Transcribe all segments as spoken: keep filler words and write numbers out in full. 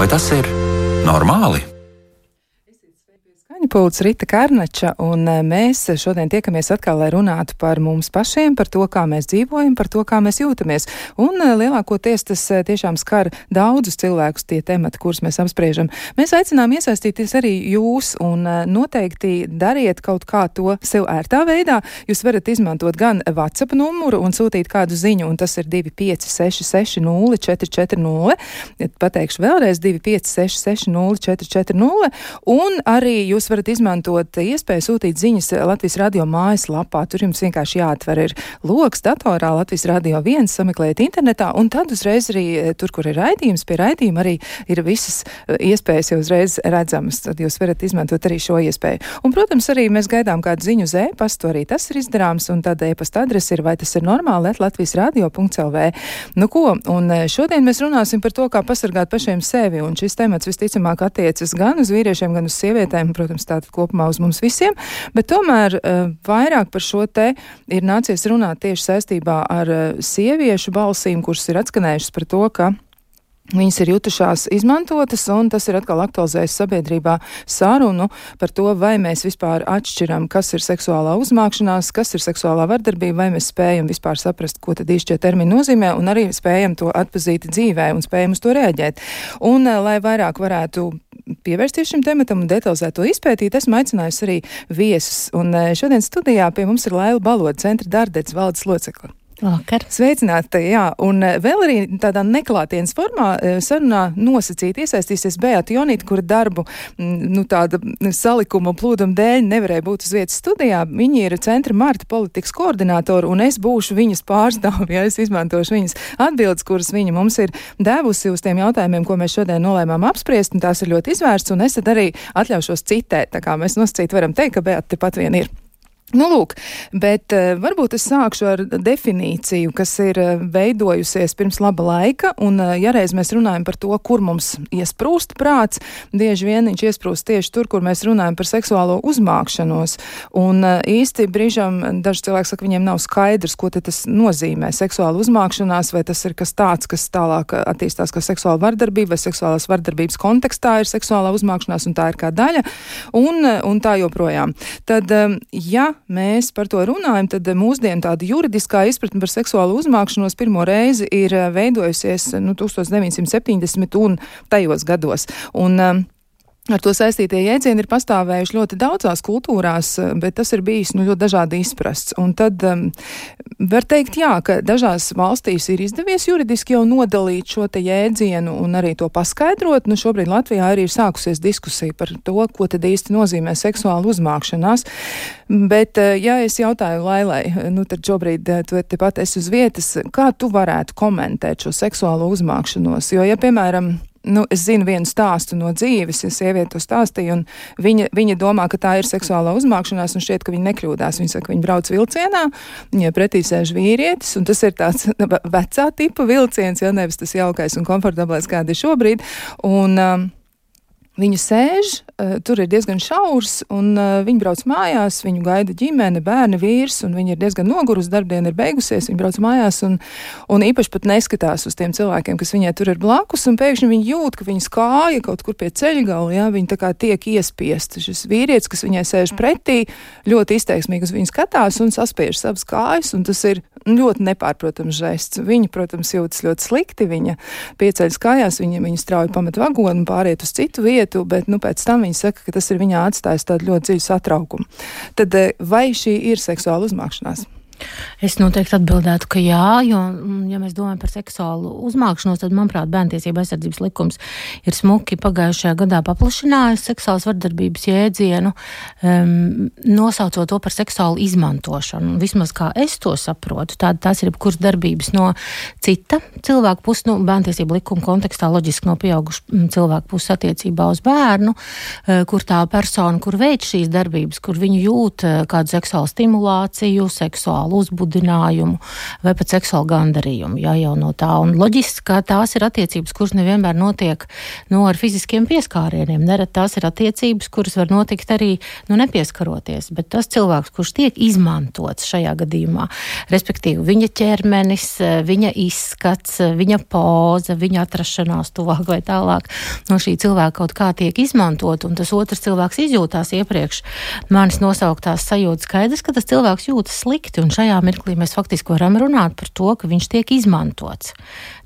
Vai tas ir normāli? Pults Rita Karnača, un mēs šodien tiekamies atkal, lai runātu par mums pašiem, par to, kā mēs dzīvojam, par to, kā mēs jūtamies. Un lielākoties tas tiešām skar daudzus cilvēkus tie temati, kurus mēs apspriežam. Mēs aicinām iesaistīties arī jūs, un noteikti dariet kaut kā to sev ērtā veidā. Jūs varat izmantot gan WhatsApp numuru un sūtīt kādu ziņu, un tas ir divi pieci seši seši nulle četri četri nulle. Pateikšu vēlreiz divi pieci seši seši nulle četri četri nulle, un arī jūs varat izmantot iespēju sūtīt ziņas Latvijas radio mājaslapā. Tur jums vienkārši jāatver ir loks datorā Latvijas radio viens, sameklējiet internetā, un tad uzreiz arī tur, kur ir raidījums, pie raidījuma arī ir visas iespējas jau uzreiz redzamas. Tad jūs varat izmantot arī šo iespēju. Un, protams, arī mēs gaidām kādu ziņu uz e-pastu, arī tas ir izdarāms, un tad e-pasta adrese ir vai tas ir normāli at latvijas radio punkts el vē. Nu ko, un šodien mēs runāsim par to, kā pasargāt pašiem sevi, un šis temats visticamāk attiecas gan uz vīriešiem, gan uz sievietēm, protams, tātad kopumā uz mums visiem, bet tomēr uh, vairāk par šo te ir nācies runāt tieši saistībā ar uh, sieviešu balsīm, kuras ir atskanējušas par to, ka viņas ir jutušās izmantotas, un tas ir atkal aktualizējis sabiedrībā sarunu par to, vai mēs vispār atšķiram, kas ir seksuālā uzmākšanās, kas ir seksuālā vardarbība, vai mēs spējam vispār saprast, ko tad īsti šie termini nozīmē, un arī spējam to atpazīt dzīvē un spējam uz to rēģēt. Un, lai vairāk varētu pievērsties šim tematam un detalizēt to izpētīt, esmu aicinājusi arī viesus. Un šodien studijā pie mums ir Laila Baloda, centra Dardets valdes locekle. Vakar. Sveicināti, jā, un vēl arī tādā neklātienes formā sarunā nosacīti iesaistīsies Beata Jonīta, kura darbu, nu tāda salikuma plūduma dēļ nevarēja būt uz vietas studijā. Viņa ir centra Marta politikas koordinātora, un es būšu viņas pārstāvi, ja es izmantošu viņas atbildes, kuras viņa mums ir devusi uz tiem jautājumiem, ko mēs šodien nolēmām apspriest, un tās ir ļoti izvērsts, un es tad arī atļaušos citēt, tā kā mēs nosacīti varam teikt, ka Beata tepat vien ir. Nu, lūk, bet uh, varbūt es sākšu ar definīciju, kas ir uh, veidojusies pirms laba laika, un uh, ja reiz mēs runājam par to, kur mums iesprūst prāts, bieži vien viņš iesprūst tieši tur, kur mēs runājam par seksuālo uzmākšanos, un uh, īsti brīžam daži cilvēki saka, viņiem nav skaidrs, ko tas nozīmē seksuāla uzmākšanās, vai tas ir kas tāds, kas tālāk attīstās kā seksuāla vardarbība, vai seksuālās vardarbības kontekstā ir seksuālā uzmākšanās, un tā ir kā daļa, un, un tā joprojām. Tad, um, ja mēs par to runājam, tad mūsdienu tāda juridiskā izpratne par seksuālu uzmākšanos pirmo reizi ir veidojusies nu, tusenstoš deviņsimt septiņdesmit un tajos gados. Un, um, Ar to saistītie jēdzieni ir pastāvējuši ļoti daudzās kultūrās, bet tas ir bijis nu, ļoti dažādi izprasts. Un tad um, var teikt, jā, ka dažās valstīs ir izdevies juridiski jau nodalīt šo te jēdzienu un arī to paskaidrot. Nu, šobrīd Latvijā arī ir sākusies diskusija par to, ko tad īsti nozīmē seksuāla uzmākšanās. Bet, ja es jautāju Lailai, nu tad šobrīd tu tepat esi uz vietas, kā tu varētu komentēt šo seksuālo uzmākšanos? Jo, ja, piemēram, Nu, es zinu vienu stāstu no dzīves, ja sieviete to stāstīja, un viņa, viņa domā, ka tā ir seksuālā uzmākšanās, un šķiet, ka viņa nekļūdās. Viņa saka, ka viņa brauc vilcienā, viņai pretī sēž vīrietis, un tas ir tāds vecā tipa vilciens, ja nevis tas jaukais un komfortablais, kāda ir šobrīd. Un, um, Viņa sēž, uh, tur ir diezgan šaurs, un uh, viņa brauc mājās, viņu gaida ģimene, bērni, vīrs, un viņa ir diezgan nogurus, darbdiena ir beigusies, viņa brauc mājās, un, un īpaši pat neskatās uz tiem cilvēkiem, kas viņai tur ir blakus, un pēkšņi viņa jūt, ka viņas kāja kaut kur pie ceļgala, ja, viņa tā kā tiek iespiesta. Šis vīrietis, kas viņai sēž pretī, ļoti izteiksmīgi uz viņu skatās un saspiež savas kājas, un tas ir ļoti nepārprotams žests. Viņa, protams, jūtas ļoti slikti, viņa pieceļas kājās, viņa, viņa strauji pamet vagonu un pāriet uz citu vietu, bet nu, pēc tam viņa saka, ka tas ir viņā atstājis tādu ļoti dziļu satraukumu. Tad vai šī ir seksuāla uzmākšanās? Es noteikti atbildētu, ka jā, jo, ja mēs domājam par seksuālu uzmākšanos, tad, manuprāt, Bērntiesība aizsardzības likums ir smuki pagājušajā gadā paplašinājis seksuālas vardarbības jēdzienu, um, nosaucot to par seksuālu izmantošanu. Vismaz kā es to saprotu, tāda tās ir jebkuras darbības no cita cilvēku puses, nu, Bērntiesība likuma kontekstā loģiski no pieaugušu cilvēku puses attiecībā uz bērnu, kur tā persona, kur veic šīs darbības, kur viņu jūt kādu seksuālu stimulāciju, seksuālu seksuālu uzbudinājumu vai pat seksuālu gandarījumu, jā, jau no tā. Un loģiski, ka tās ir attiecības, kuras nevienmēr notiek, nu, ar fiziskiem pieskārieniem. Nerad tās ir attiecības, kuras var notikt arī, nu, nepieskaroties, bet tas cilvēks, kurš tiek izmantots šajā gadījumā, respektīvi viņa ķermenis, viņa izskats, viņa poza, viņa atrašanās tuvāk vai tālāk no šī cilvēka kaut kā tiek izmantot, un tas otrs cilvēks izjūtās iepriekš manis nosauktās sajūtas, skaidrs, ka tas cilvēks jūtas slikti, un šajā mirklī mēs faktiski varam runāt par to, ka viņš tiek izmantots.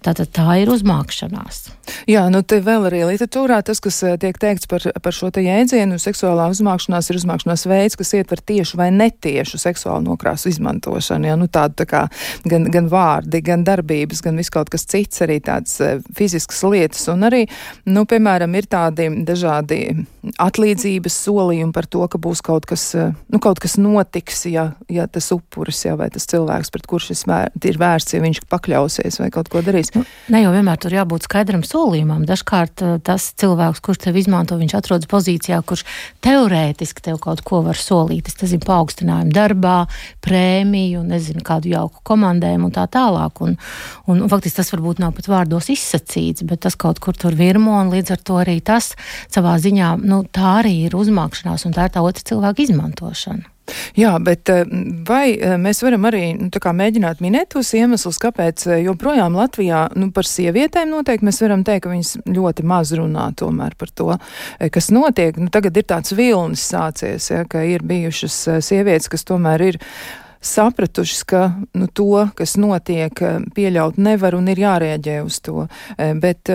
Tātad tā ir uzmākšanās. Jā, nu te vēl arī literatūrā tas, kas tiek teikts par, par šo te jēdzienu, seksuālā uzmākšanās ir uzmākšanās veids, kas ietver tiešu vai netiešu seksuālu nokrāsu izmantošanu. Jā, nu tādu tā kā gan, gan vārdi, gan darbības, gan viss kaut kas cits, arī tādas fiziskas lietas. Un arī, nu, piemēram, ir tādi dažādi atlīdzības solījumi par to, ka būs kaut kas, nu, kaut kas notiks, ja, ja tas upuris, ja, vai tas cilvēks, pret kurš šis vēr, ir vērsts, ja viņš pakļausies vai kaut ko darīs. Ne jau vienmēr tur jābūt skaidram solījumam. Dažkārt tas cilvēks, kurš tev izmanto, viņš atrodas pozīcijā, kurš teorētiski tev kaut ko var solīt. Es nezinu, paaugstinājumu darbā, prēmiju, nezinu, kādu jauku komandējumu un tā tālāk. Un, un, un faktiski tas varbūt nav pat vārdos izsacīts, bet tas kaut kur tur virmo, un līdz ar to arī tas savā ziņā, nu, tā arī ir uzmākšanās, un tā ir tā otra cilvēka izmantošana. Jā, bet vai mēs varam arī, nu, tā kā mēģināt minēt tos iemeslus, kāpēc joprojām Latvijā, nu, par sievietēm noteikti mēs varam teikt, ka viņas ļoti maz runā tomēr par to, kas notiek. Nu, tagad ir tāds vilnis sācies, ja, ka ir bijušas sievietes, kas tomēr ir sapratušas, ka, nu, to, kas notiek, pieļaut nevar un ir jārēģē uz to. Bet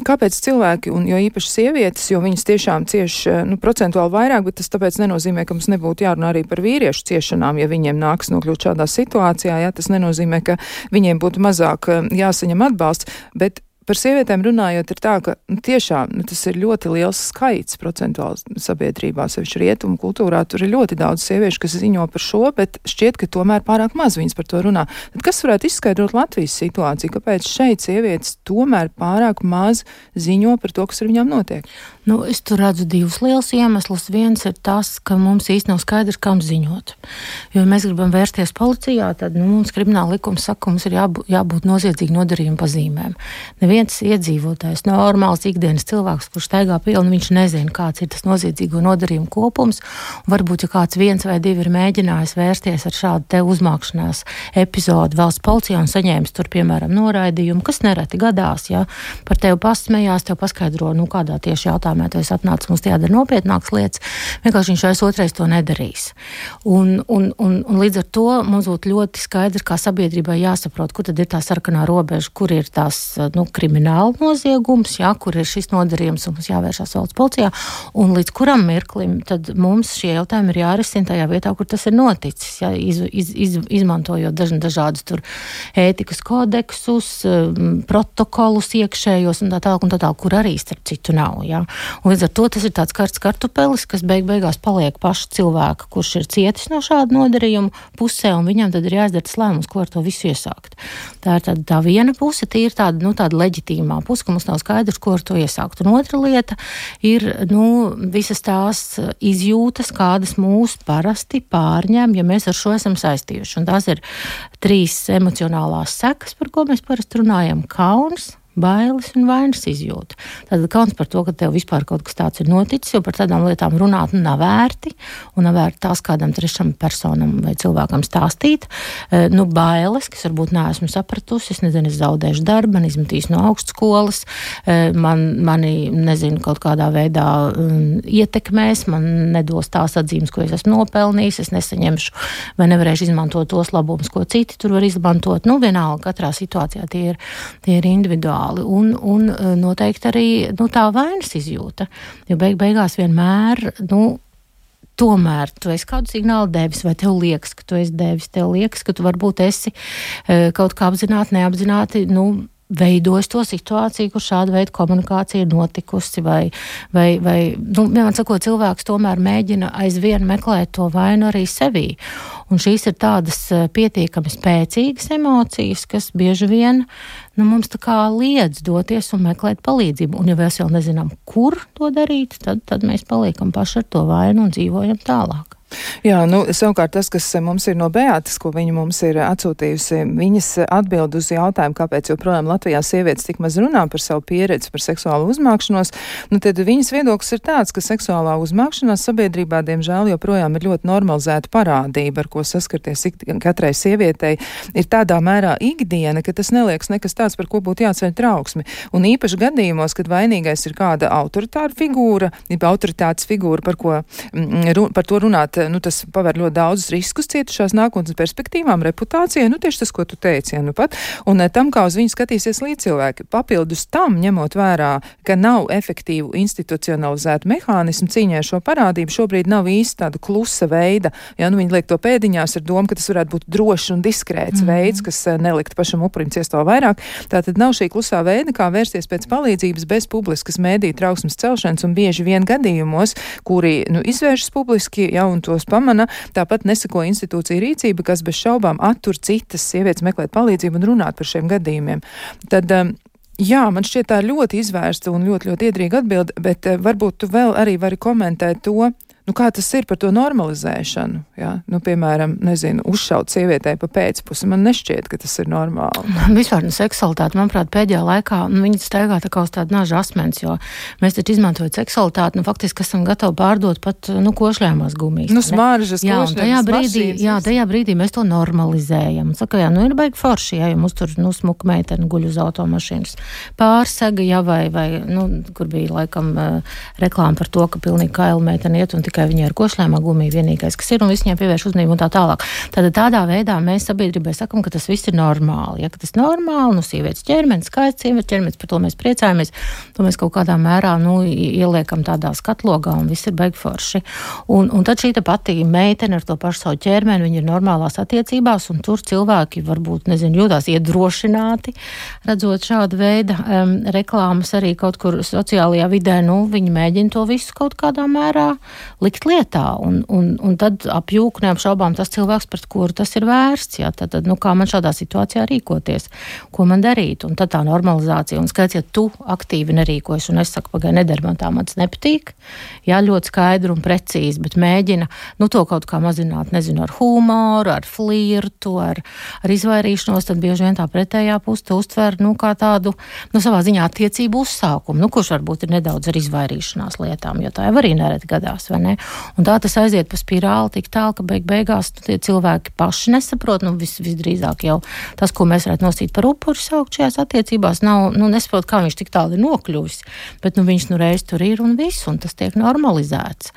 kāpēc cilvēki, un jo īpaši sievietes, jo viņas tiešām cieš, nu, procentuāli vairāk, bet tas tāpēc nenozīmē, ka mums nebūtu jārunā arī par vīriešu ciešanām, ja viņiem nāks nokļūt šādā situācijā, ja, tas nenozīmē, ka viņiem būtu mazāk jāsaņem atbalsts, bet par sievietēm runājot ir tā, ka nu, tiešām nu, tas ir ļoti liels skaits procentuāli sabiedrībā, sevišķi rietumu kultūrā. Tur ir ļoti daudz sieviešu, kas ziņo par šo, bet šķiet, ka tomēr pārāk maz viņas par to runā. Tad kas varētu izskaidrot Latvijas situāciju? Kāpēc šeit sievietes tomēr pārāk maz ziņo par to, kas ar viņām notiek? Nu, es tur redzu divus lielus iemeslus. Viens ir tas, ka mums īsti nav skaidrs, kam ziņot. Jo, ja mēs gribam vērsties policijā, tad nu, mums krimināla likums saka, ka mums ir jābūt, jābūt noziedzīgi nodarījuma pazīmēm. Neviens iedzīvotājs, normāls ikdienas cilvēks, kurš staigā pilni, viņš nezina, kāds ir tas noziedzīgo nodarījumu kopums. Un varbūt, ja kāds viens vai divi ir mēģinājis vērsties ar šādu te uzmākšanās epizodu valsts policijā un saņēmis tur, piemēram, noraidījumu, kas nereti gadās, ja par tevi pasmējās, tev paskaidro, nu, kādā tieši jautājumā tu esi atnācis, mums tie jādara nopietnākas lietas, vienkārši viņš vairs otrais to nedarīs. Un, un, un, un līdz ar to mums būtu ļoti skaidrs, kā sabiedrībai jāsaprot, kur tad ir tā sarkanā robeža, kur ir tās, nu, krimināla noziegums, jā, kur ir šis nodarījums un mums jāvēršās valsts policijā, un līdz kuram mirklim tad mums šie jautājumi ir jārisina tajā vietā, kur tas ir noticis, jā, iz, iz, iz, izmantojot daž, dažādus tur ētikas kodeksus, protokolus iekšējos un tā tālāk un tā tālāk, kur arī starp citu nav, jā. Un līdz ar to tas ir tāds karsts kartupelis, kas beig beigās paliek paša cilvēka, kurš ir cietis no šāda nodarījuma pusē, un viņam tad ir jāizdara tas lēmums, ko ar to visu iesākt. Tā ir tāda tā viena puse, tā ir tāda, nu, tāda leģitīmā puse, ka mums nav skaidrs, ko ar to iesākt. Un otra lieta ir, nu, visas tās izjūtas, kādas mūs parasti pārņem, ja mēs ar šo esam saistījuši. Un tās ir trīs emocionālās sekas, par ko mēs parasti runājam: kauns, bailes un vainas izjūta. Tad kauns par to, ka tev vispār kaut kas tāds ir noticis, jo par tādām lietām runāt nu, nav vērti, un nav vērti tās kādam trešam personam vai cilvēkam stāstīt. E, nu, bailes, kas varbūt neesmu sapratusi, es nezinu, es zaudēšu darbu, man izmetīs no augstskolas, e, man, mani, nezinu, kaut kādā veidā um, ietekmēs, man nedos tās atzīmes, ko es esmu nopelnījis, es nesaņemšu vai nevarēšu izmantot tos labumus, ko citi tur var izmantot. Nu, vienalga, katrā situācijā tie ir, tie ir individuāli. Un, un noteikti arī nu, tā vainas izjūta, jo beig beigās vienmēr, nu, tomēr tu esi kādu signālu devis, vai tev liekas, ka tu esi devis, tev liekas, ka tu varbūt esi kaut kā apzināti, neapzināti, nu, veidojis to situāciju, kur šāda veida komunikācija ir notikusi, vai, vai, vai nu, vienmēr sakot, cilvēks tomēr mēģina aizvien meklēt to vainu arī sevī. Un šīs ir tādas pietiekami spēcīgas emocijas, kas bieži vien, nu, mums tā kā liedz doties un meklēt palīdzību. Un ja mēs vēl nezinām, kur to darīt, tad, tad mēs paliekam paši ar to vainu un dzīvojam tālāk. Jā, nu, savukārt tas, kas mums ir no Beatas, ko viņa mums ir atsūtījusi, viņas atbild uz jautājumu, kāpēc joprojām Latvijā sievietes tik maz runā par savu pieredzi, par seksuālu uzmākšanos, nu, tad viņas viedoklis ir tāds, ka seksuālā uzmākšanās sabiedrībā, diemžēl, joprojām ir ļoti normalizēta parādība, ar ko saskarties katrai sievietei, ir tādā mērā ikdiena, ka tas neliekas nekas tāds, par ko būtu jāceļ trauksmi. Un īpaši gadījumos, kad vainīgais ir kāda autoritāra figūra, autoritātes figūra, par ko par to runāt, nu, tas paver ļoti daudzus riskus cietušās nākotnes perspektīvām, reputācijai, nu, tieši tas, ko tu teici, ja, nu pat, un tam, kā uz viņu skatīsies līdzcilvēki. Papildus tam, ņemot vērā, ka nav efektīvu institucionalizētu mehānismu cīņai ar šo parādību, šobrīd nav īsti tāda klusa veida, ja, nu, viņi liek to pēdiņās ar domu, ka tas varētu būt drošs un diskrēts mm-hmm. veids, kas nelikt pašam upurim ciest vēl vairāk. Tātad nav šī klusā veida, kā vērsties pēc palīdzības bez publiskas mēdī trauksmes celšanas, un bieži vien gadījumos, kuri, nu, izvēršas publiski, ja, un tos pamana, tāpat nesako institūcija rīcība, kas bez šaubām attur citas sievietes meklēt palīdzību un runāt par šiem gadījumiem. Tad, jā, man šķiet tā ļoti izvērsta un ļoti, ļoti iedrīga atbilde, bet varbūt tu vēl arī vari komentēt to, nu, kā tas ir par to normalizēšanu, jā? Nu, piemēram, nezinu, uzšaut sievietei pa pēcpusi, man nešķiet, ka tas ir normāli. Vispār, nu, seksualitāte, manuprāt, pēdējā laikā, nu, viņi staigā tā kā uz tādu naža asmens, jo mēs taču izmantojot seksualitāti, nu, faktiski esam gatavi pārdot pat, nu, košļājumās gumijas. Nu, smaržas, košļājumās mašīnas. Jā, tajā brīdī mēs to normalizējam. Saka, jā, nu, ir baigi forši, jā, ja mums tur, nu, smuka meiteni guļ uz automašīnas. Pārsega, jā, vai, vai, nu, kur bija, laikam, reklāma par to, ka pilnīgi kaila meiteni iet un tikai viņai ar košļājumā gumija vienīgais, kas ir, un viss viņai pievērš uzmanību un tā tālāk. Tātad tādā veidā mēs sabiedrībai sakam, ka tas viss ir normāli. Ja, ka tas normāli, nu, sievietes ķermenis, skaists sievietes ķermenis, par to mēs priecājamies, to mēs kaut kādā mērā, nu, ieliekam tādā skatlogā, un viss ir baigi forši. Un, un tad šī te pati meitene ar to pašu savu ķermeni, viņi ir normālās attiecībās, un tur cilvēki varbūt, nezinu, jūtās iedrošināti, redzot šādu veidu um, reklāmas arī kaut kur sociālajā vidē, nu, viņi mēģina to visu kaut kādā mērā likt lietā, un, un, un tad apjūk neapšaubām tas cilvēks, pret kuru tas ir vērsts, jā, tad, tad, nu, kā man šādā situācijā rīkoties, ko man darīt, un tad tā normalizācija, un skaits, ja tu aktīvi nerīkojas, un es saku, pagai, nedara man tā, man tas nepatīk, jā, ļoti skaidri un precīzi, bet mēģina, nu, to kaut kā mazināt, nezinu, ar humoru, ar flirtu, ar, ar izvairīšanos, tad bieži vien tā pretējā puse to uztver, nu, kā tādu, nu, savā ziņā attiecību uzsākumu, nu, kurš varbūt ir nedaudz ar izvairīšanās lietām, jo tā jau arī nereti gadās, vai ne? Un tā tas aiziet pa spirāli tik tālu, ka beig beigās nu, tie cilvēki paši nesaprot, nu vis, visdrīzāk jau tas, ko mēs varētu nosīt par upuri saukt šajās attiecībās, nav, nu nesaprot, kā viņš tik tālu ir nokļuvis, bet nu viņš nu reiz tur ir un viss, un tas tiek normalizēts.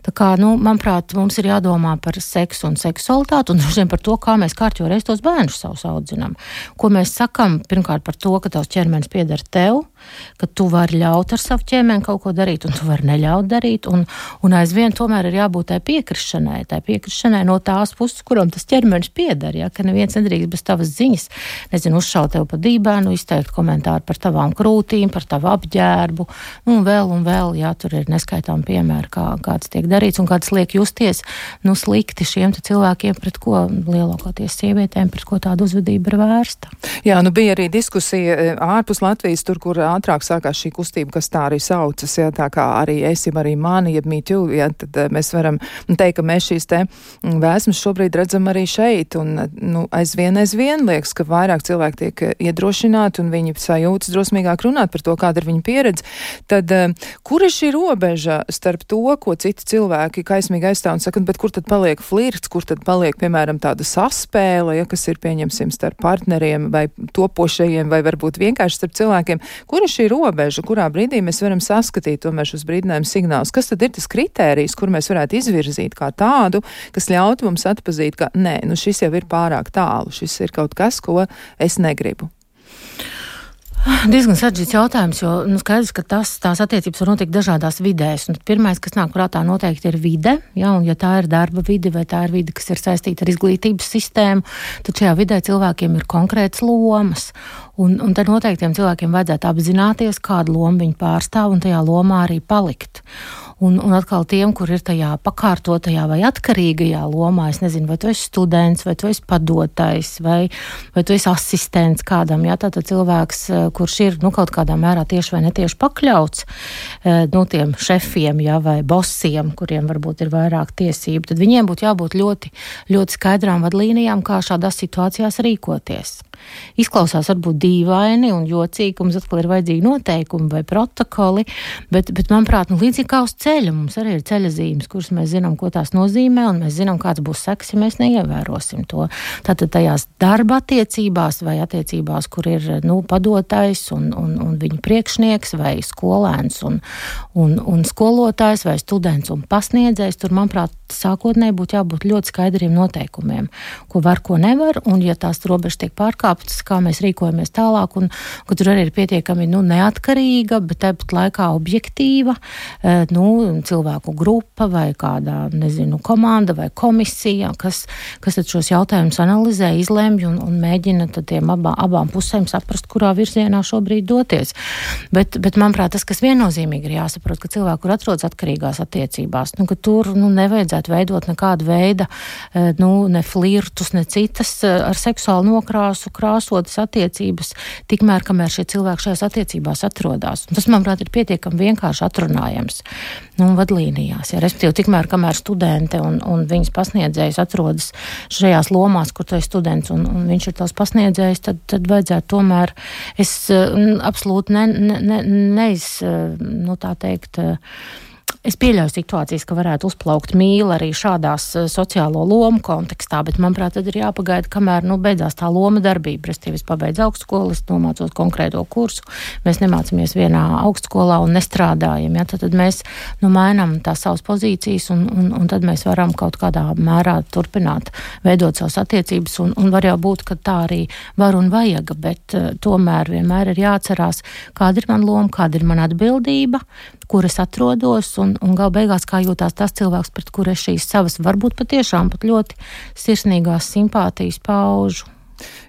Tā kā, nu, manuprāt, mums ir jādomā par seksu un seksualitāti, un droši vien par to, kā mēs kārtjo reiz tos bērnus savus audzinām. Ko mēs sakam, pirmkārt par to, ka tavs ķermenis pieder tev, ka tu vari ļaut ar savu ķermeni kaut ko darīt, un tu vari neļaut darīt, un, un aizvien tomēr ir jābūt tai piekrišanai, tai piekrišanai no tās puses, kuram tas ķermenis pieder, ja, ka neviens nedrīkst bez tavas ziņas, nezinu, uzšaut tev pa dībēnu, izteikt komentāru par tavām krūtīm, par tavu apģērbu, un vēl un vēl, jā, tur ir neskaitām piemēri, kā, kāds tiek darīts, un kāds liek justies, nu, slikti šiem te cilvēkiem, pret ko lielākoties sievietēm, pret ko tāda uzvedība ir vērsta. Jā, nu bija arī diskusija ārpus Latvijas, tur, kur ātrāk sākās šī kustība, kas tā arī saucas, ja, tā kā arī esi arī mani, jeb me too, ja, tad mēs varam teikt, ka mēs šīs te vēsmas šobrīd redzam arī šeit, un, nu, aizvien, aizvien liekas, ka vairāk cilvēki tiek iedrošināti, un viņi sajūtas drosmīgāk runāt par to, kāda ir viņa pieredze. Tad, kur ir šī robeža starp to, ko citi cilvēki kaismīgi aizstāv un saka, bet kur tad paliek flirts, kur tad paliek, piemēram, tāda saspēle, ja, kas ir, pieņemsim, starp partneriem vai topošajiem, vai varbūt vienkārši starp cilvēkiem. Kur ir šī robeža, kurā brīdī mēs varam saskatīt tomēr šos brīdinājumu signālus? Kas tad ir tas kritērijs, kur mēs varētu izvirzīt kā tādu, kas ļautu mums atpazīt, ka nē, nu šis jau ir pārāk tālu, šis ir kaut kas, ko es negribu? Diezgan sarežģīts jautājums, jo nu, skaidrs, ka tas, tās attiecības var notikt dažādās vidēs. Un pirmais, kas nāk prātā noteikti ir vide, ja, un ja tā ir darba vide vai tā ir vide, kas ir saistīta ar izglītības sistēmu, tad šajā vidē cilvēkiem ir konkrēts lomas. Un, un tad noteiktiem cilvēkiem vajadzētu apzināties, kādu lomu viņi pārstāv un tajā lomā arī palikt. Un, un atkal tiem, kur ir tajā pakārtotajā vai atkarīgajā lomā, es nezinu, vai tu esi students, vai tu esi padotais, vai, vai tu esi asistents kādam, jā, tātad cilvēks, kurš kurš ir, nu, kaut kādā mērā tieši vai netieši pakļauts, nu, tiem šefiem, jā, vai bosiem, kuriem varbūt ir vairāk tiesību, tad viņiem būtu jābūt ļoti, ļoti skaidrām vadlīnijām, kā šādās situācijās rīkoties. Izklausās varbūt dīvaini un jocīgi, ka mums atkal ir vajadzīgi noteikumi vai protokoli, bet, bet manuprāt, nu, līdzīgi kā uz ceļa, mums arī ir ceļa zīmes, kuras mēs zinām, ko tās nozīmē, un mēs zinām, kāds būs seks, ja mēs neievērosim to. Tātad tajās darba attiecībās vai attiecībās, kur ir, nu, padotais un, un, un viņa priekšnieks vai skolēns un, un, un skolotājs vai students un pasniedzējs, tur, manuprāt, sākotnēji būtu jābūt ļoti skaidriem noteikumiem, ko var, ko nevar, un ja tās robežas tiek pārkāptas, kā mēs rīkojamies tālāk, un ka tur arī ir pietiekami, nu, neatkarīga, bet tāpat laikā objektīva, nu, cilvēku grupa vai kādā, nezinu, komanda vai komisija, kas, kas tad šos jautājumus analizē, izlemj un, un mēģina tad tiem abā, abām pusēm saprast, kurā virzienā šobrīd doties. Bet, bet manuprāt, tas, kas viennozīmīgi ir jāsaprot, ka cilvēki, kur atrodas atkarīgās attiecībās, nu, ka tur, nu, nevajadzētu veidot nekādu veida, nu, ne flirtus, ne citas ar seksuālu nokrāsu, krāsotas attiecības, tikmēr, kamēr šie cilvēki šajās attiecībās atrodas. Un tas, manuprāt, ir pietiekami vienkārši atrunājams, nu, vadlīnijās. Ja, respektīvi, tikmēr, kamēr studente un, un viņas pasniedzējs atrodas šajās lomās, kur tu esi students un, un viņš ir tavs pasniedzējs, tad, tad vajadzētu tomēr, es absolūti ne, ne, ne, neiz, nu, tā teikt, es pieļauju situācijas, ka varētu uzplaukt mīla arī šādās sociālo lomu kontekstā, bet, manuprāt, tad ir jāpagaida, kamēr, nu, beidzās tā loma darbība. Restīvi, es pabeidzu augstskolu, es nomācos konkrēto kursu, mēs nemācamies vienā augstskolā un nestrādājam, ja, tad, tad mēs, nu, mainām tās savas pozīcijas un, un, un tad mēs varam kaut kādā mērā turpināt veidot savas attiecības un, un var jau būt, ka tā arī var un vajag, bet uh, tomēr vienmēr ir jāatcerās, kāda ir man loma, kāda ir man atbildība, kur es atrodos un, un gal beigās kā jūtās tas cilvēks, pret kur es šīs savas varbūt patiešām pat ļoti sirsnīgās simpātijas paužu.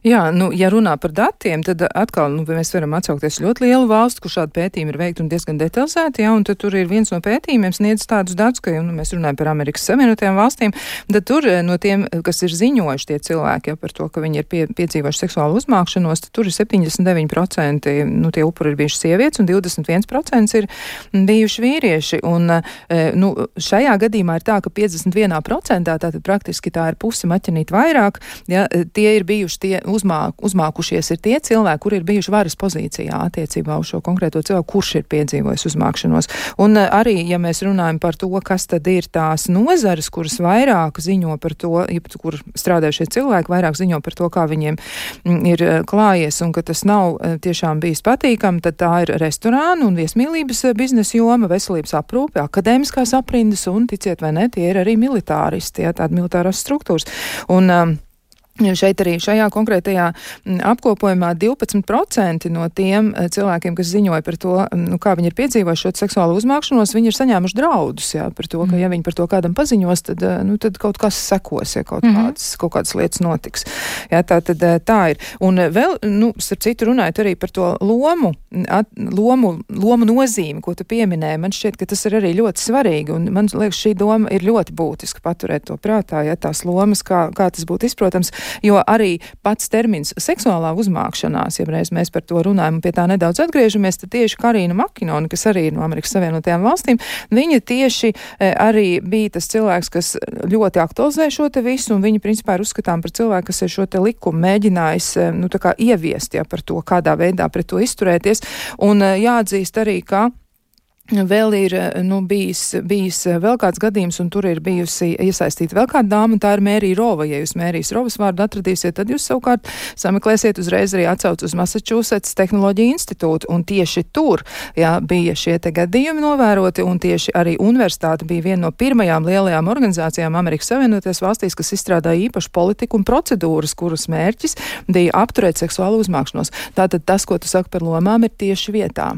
Jā, nu, ja runā par datiem, tad atkal, nu, mēs varam atsaukties ļoti lielu valstu, kur šādi pētījumi ir veikti un diezgan detalizēti, jā, un tad tur ir viens no pētījumiem sniedz tādus datus, ka, nu, mēs runājam par Amerikas Savienotajām valstīm, tad tur no tiem, kas ir ziņojuši tie cilvēki, ja, par to, ka viņi ir pie, piedzīvojuši seksuālu uzmākšanos, tad tur ir septiņdesmit deviņi procenti, nu, tie upuri ir bijuši sievietes, un divdesmit viens procents ir bijuši vīrieši, un, nu, šajā gadījumā ir tā, ka piecdesmit viens procents, tātad praktiski tā ir pusi maķenīt vairāk, ja, tie ir bijuši tie uzmāk, uzmākušies ir tie cilvēki, kuri ir bijuši varas pozīcijā attiecībā uz šo konkrēto cilvēku, kurš ir piedzīvojis uzmākšanos. Un arī, ja mēs runājam par to, kas tad ir tās nozares, kuras vairāk ziņo par to, kur strādājušie cilvēki vairāk ziņo par to, kā viņiem ir klājies un ka tas nav tiešām bijis patīkami, tad tā ir restorānu un viesmīlības biznesa joma, veselības aprūpe, akadēmiskās aprindas un, ticiet vai ne, tie ir arī militāristi, ja, tādi militārās struktūras. Un um, šeit arī šajā konkrētajā apkopojumā divpadsmit procenti no tiem cilvēkiem, kas ziņoja par to, nu, kā viņi ir piedzīvojuši šo seksuālu uzmākšanos, viņi ir saņēmuši draudus, jā, par to, ka ja viņi par to kādam paziņos, tad, nu, tad kaut kas sekos, ja kaut, mm-hmm. kāds, kaut kādas lietas notiks. Jā, tā tad tā ir. Un vēl, nu, starp citu runājot arī par to lomu, at, lomu, lomu nozīmi, ko tu pieminēji, man šķiet, ka tas ir arī ļoti svarīgi, un man liekas, šī doma ir ļoti būtiska paturēt to prātā, ja tās lomas, kā, kā tas būtu izprotams. Jo arī pats termins seksuālā uzmākšanās, ja reiz mēs par to runājam un pie tā nedaudz atgriežamies, tad tieši Karīna Makinoni, kas arī ir no Amerikas Savienotajām valstīm, viņa tieši e, arī bija tas cilvēks, kas ļoti aktualizē šo te visu, un viņa principā ir uzskatām par cilvēku, kas ir šo te likumu mēģinājis, e, nu, tā kā ieviest, ja, par to, kādā veidā pret to izturēties, un e, jāatzīst arī, ka vēl ir, nu, bijis, bijis vēl kāds gadījums, un tur ir bijusi iesaistīta vēl kāda dāma, un tā ir Mērija Rova. Ja jūs Mērijas Rovas vārdu atradīsiet, tad jūs savukārt sameklēsiet uzreiz arī atsauc uz Massachusetts Tehnoloģiju institūtu, un tieši tur, jā, bija šie te gadījumi novēroti, un tieši arī universitāte bija viena no pirmajām lielajām organizācijām Amerikas Savienotajās valstīs, kas izstrādāja īpašu politiku un procedūras, kuras mērķis bija apturēt seksuālu uzmākšanos. Tātad tas, ko tu saki par lomām, ir tieši vietā.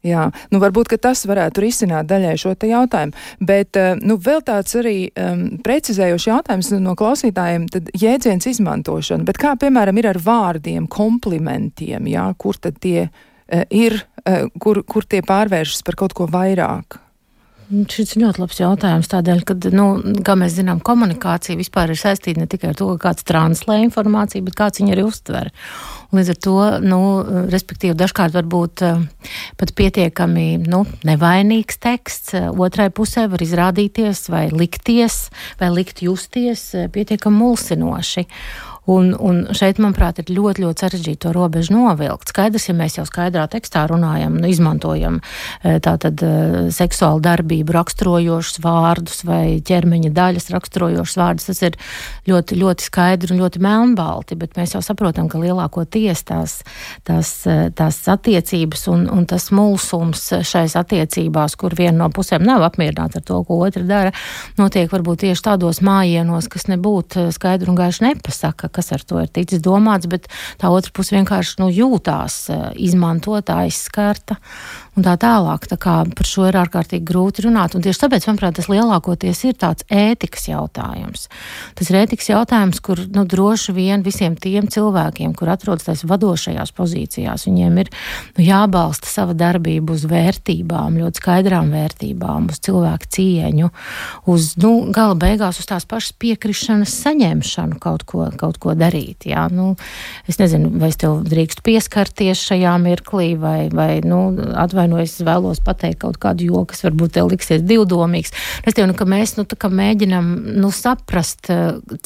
Jā, nu varbūt, ka tas varētu risināt daļai šo te jautājumu, bet, nu, vēl tāds arī um, precizējošs jautājums no klausītājiem, tad jēdziens izmantošana, bet kā, piemēram, ir ar vārdiem, komplimentiem, jā, kur tad tie uh, ir, uh, kur, kur tie pārvēršas par kaut ko vairāk? Šis ir ļoti labs jautājums tādēļ, ka, nu, kā mēs zinām, komunikācija vispār ir saistīta ne tikai ar to, ka kāds translē informāciju, bet kāds viņu arī uztver. Un līdz ar to, nu, respektīvi, dažkārt var būt pat pietiekami, nu, nevainīgs teksts, otrai pusē var izrādīties vai likties, vai likt justies pietiekami mulsinoši. Un, un šeit, manuprāt, ir ļoti, ļoti sarežģīti to robežu novilkt. Skaidrs, ja mēs jau skaidrā tekstā runājam, nu, izmantojam tātad seksuālu darbību raksturojošus vārdus vai ķermeņa daļas raksturojošus vārdus, tas ir ļoti, ļoti skaidri un ļoti melnbalti, bet mēs jau saprotam, ka lielākoties tās, tās, tās attiecības un, un tas mulsums šais attiecībās, kur viena no pusēm nav apmierināta ar to, ko otra dara, notiek varbūt tieši tādos mājienos, kas nebūtu skaidri un gaiši nepasaka, kas ar to ir ticis domāts, bet tā otra puse vienkārši, nu, jūtās izmantot, aizskarta un tā tālāk. Tā kā par šo ir ārkārtīgi grūti runāt. Un tieši tāpēc, manuprāt, tas lielākoties ir tāds ētikas jautājums. Tas ir ētikas jautājums, kur, nu, droši vien visiem tiem cilvēkiem, kur atrodas tais vadošajās pozīcijās, viņiem ir, nu, jābalsta sava darbība uz vērtībām, ļoti skaidrām vērtībām, uz cilvēku cieņu, uz, nu, gala beigās uz tās pašas piekrišanas saņemšanu kaut ko, kaut ko darīt. Jā. Nu, es nezinu, vai es tev drīkstu pieskarties šajā mirklī, vai, vai nu, atvainojos, es vēlos pateikt kaut kādu joku, kas varbūt tev liksies divdomīgs. Es tev, nu, ka mēs, nu, tā kā mēģinam, nu, saprast,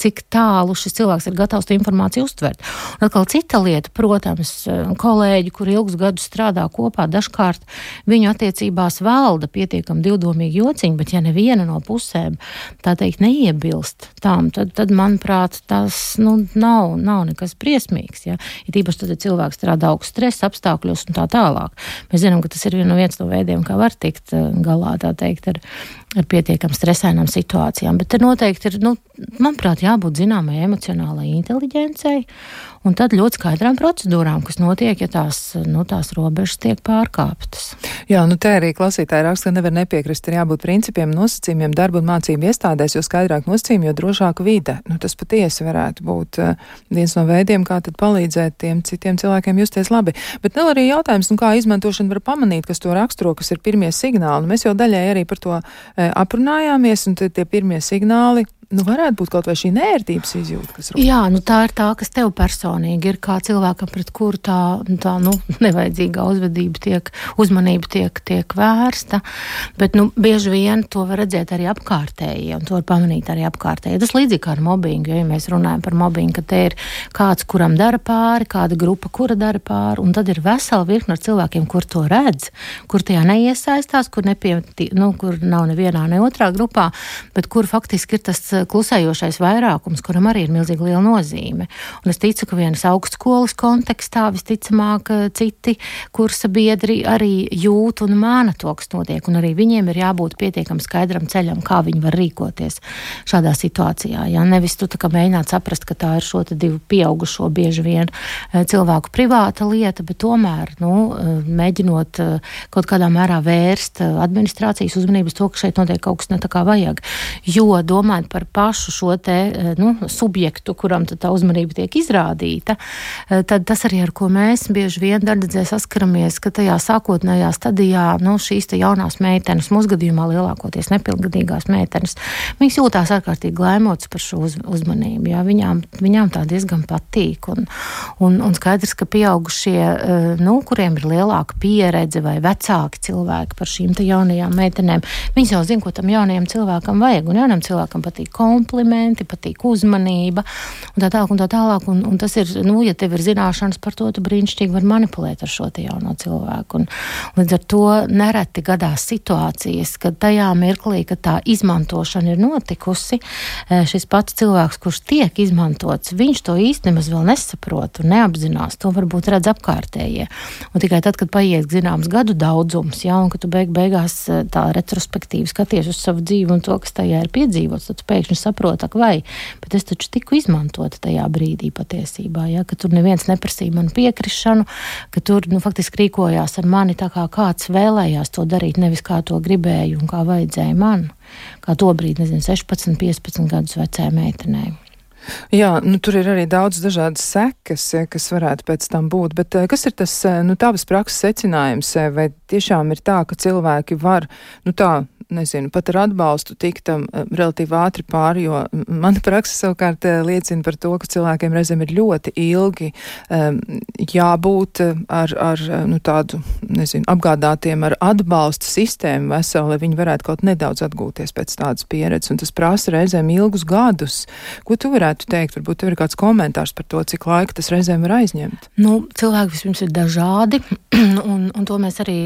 cik tālu šis cilvēks ir gatavs to informāciju uztvert. Un atkal cita lieta, protams, kolēģi, kuri ilgus gadus strādā kopā, dažkārt viņu attiecībās valda pietiekami divdomīgi jociņi, bet ja neviena no pusēm, tā teikt, neiebilst tām, tad, tad manuprāt, tas, nu, nav, nav nekas briesmīgs, ja. Ir īpaši tad, ja cilvēks strādā augstu stresa apstākļos un tā tālāk. Mēs zinām, ka tas ir viens no veidiem, kā var tikt galā, tā teikt, ar, ar pietiekam stresainām situācijām. Bet te noteikti ir, nu, manuprāt, jābūt zināmai emocionālai inteliģencei un tad ļoti skaidrām procedūrām, kas notiek, ja tās, nu, tās robežas tiek pārkāptas. Jā, nu te arī klausītāji raksta, ka nevar nepiekrist, ir jābūt principiem, nosacījumiem darba un mācību iestādēs, jo skaidrāk nosacījumi, jo drošāka vide. Nu, tas patiesi varētu būt uh, viens no veidiem, kā tad palīdzēt tiem citiem cilvēkiem justies labi. Bet vēl arī jautājums, nu, kā izmantošana var pamanīt, kas to raksturo, kas ir pirmie signāli. Nu, mēs jau daļai arī par to e, aprunājāmies, un tie pirmie signāli, nu, varētu būt kaut vai šī nērtības izjūta, kas rūp. Jā, nu tā ir tā, kas tev personīgi ir, kā cilvēkam, pret kuru tā, tā, nu, nevajadzīgā uzvedība tiek, uzmanība tiek, tiek vērsta, bet, nu, bieži vien to var redzēt arī apkārtējie, un to var pamanīt arī apkārtējie. Tas līdzīgi kā ar mobbingu, ja mēs runājam par mobbingu, ka te ir kāds, kuram dara pāri, kāda grupa, kura dara pāri, un tad ir vesela virkne ar cilvēkiem, kur to redz, kur tajā neiesaistās, kur, nepie, nu, kur nav nevienā, ne otrā grupā, bet kur faktiski ir tas klusējošais vairākums, kuram arī ir milzīgi liela nozīme. Un es ticu, ka vienas augstskolas kontekstā visticamāk citi kursa biedri arī jūt un māna to, kas notiek, un arī viņiem ir jābūt pietiekam skaidram ceļam, kā viņi var rīkoties šādā situācijā. Ja? Nevis tu tā kā mēģināt saprast, ka tā ir šo te divu pieaugušo bieži vien cilvēku privāta lieta, bet tomēr, nu, mēģinot kaut kādā mērā vērst administrācijas uzmanības to, ka šeit notiek kaut kas ne tā kā vajag. Jo domājot par pašu šo te, nu, subjektu, kuram tad tā uzmanība tiek izrādīta, tad tas arī, ar ko mēs bieži vien darbdzē saskaramies, ka tajā sākotnējā stadijā, nu, šīs te jaunās meitenes, mūsu gadījumā lielākoties nepilngadīgās meitenes, viņas jūtās ārkārtīgi glaimotas par šo uz, uzmanību, jā, viņām, viņām tā diezgan patīk, un, un, un skaidrs, ka pieaugušie, nu, kuriem ir lielāka pieredze vai vecāki cilvēki par šīm te jaunajām meitenēm, viņas jau zina, ko tam jaunajam cilvēkam vajag, un jaunam cilvēkam patīk komplimenti, patīk uzmanība un tā tālāk un tā tālāk. Un, un tas ir, nu, ja tev ir zināšanas par to, tu brīnišķīgi var manipulēt ar šo te jauno cilvēku. Un, un līdz ar to nereti gadās situācijas, kad tajā mirklī, kad tā izmantošana ir notikusi, šis pats cilvēks, kurš tiek izmantots, viņš to īsti nemaz vēl nesaprot un neapzinās. To varbūt redz apkārtējie. Un tikai tad, kad paiet zināms gadu daudzums, ja, un kad tu beig beigās tā retrospektīvi skaties uz savu dzīvi un to, kas tajā ir piedzīvots, tad tu pēkšņi saproti, ak vai, bet es taču tiku izmantota tajā brīdī patiesībā, ja, ka tur neviens neprasīja manu piekrišanu, ka tur, nu, faktiski rīkojās ar mani tā kā kāds vēlējās to darīt, nevis kā to gribēju un kā vajadzēja man, kā to brīdi, nezinu, sešpadsmit, piecpadsmit gadus vecē meitenei. Jā, nu tur ir arī daudz dažādas sekas, kas varētu pēc tam būt, bet kas ir tas, nu, tavas prakses secinājums, vai tiešām ir tā, ka cilvēki var, nu tā, nezinu, pat ar atbalstu tiktam relatīvi ātri pāri, jo mana praksa savukārt liecina par to, ka cilvēkiem reizēm ir ļoti ilgi um, jābūt ar, ar nu, tādu, nezinu, apgādātiem ar atbalsta sistēmu veselu, lai viņi varētu kaut nedaudz atgūties pēc tādas pieredzes, un tas prasa reizēm ilgus gadus. Ko tu varētu teikt? Varbūt tev ir kāds komentārs par to, cik laika tas reizēm var aizņemt? Nu, cilvēki vispirms ir dažādi, un, un to mēs arī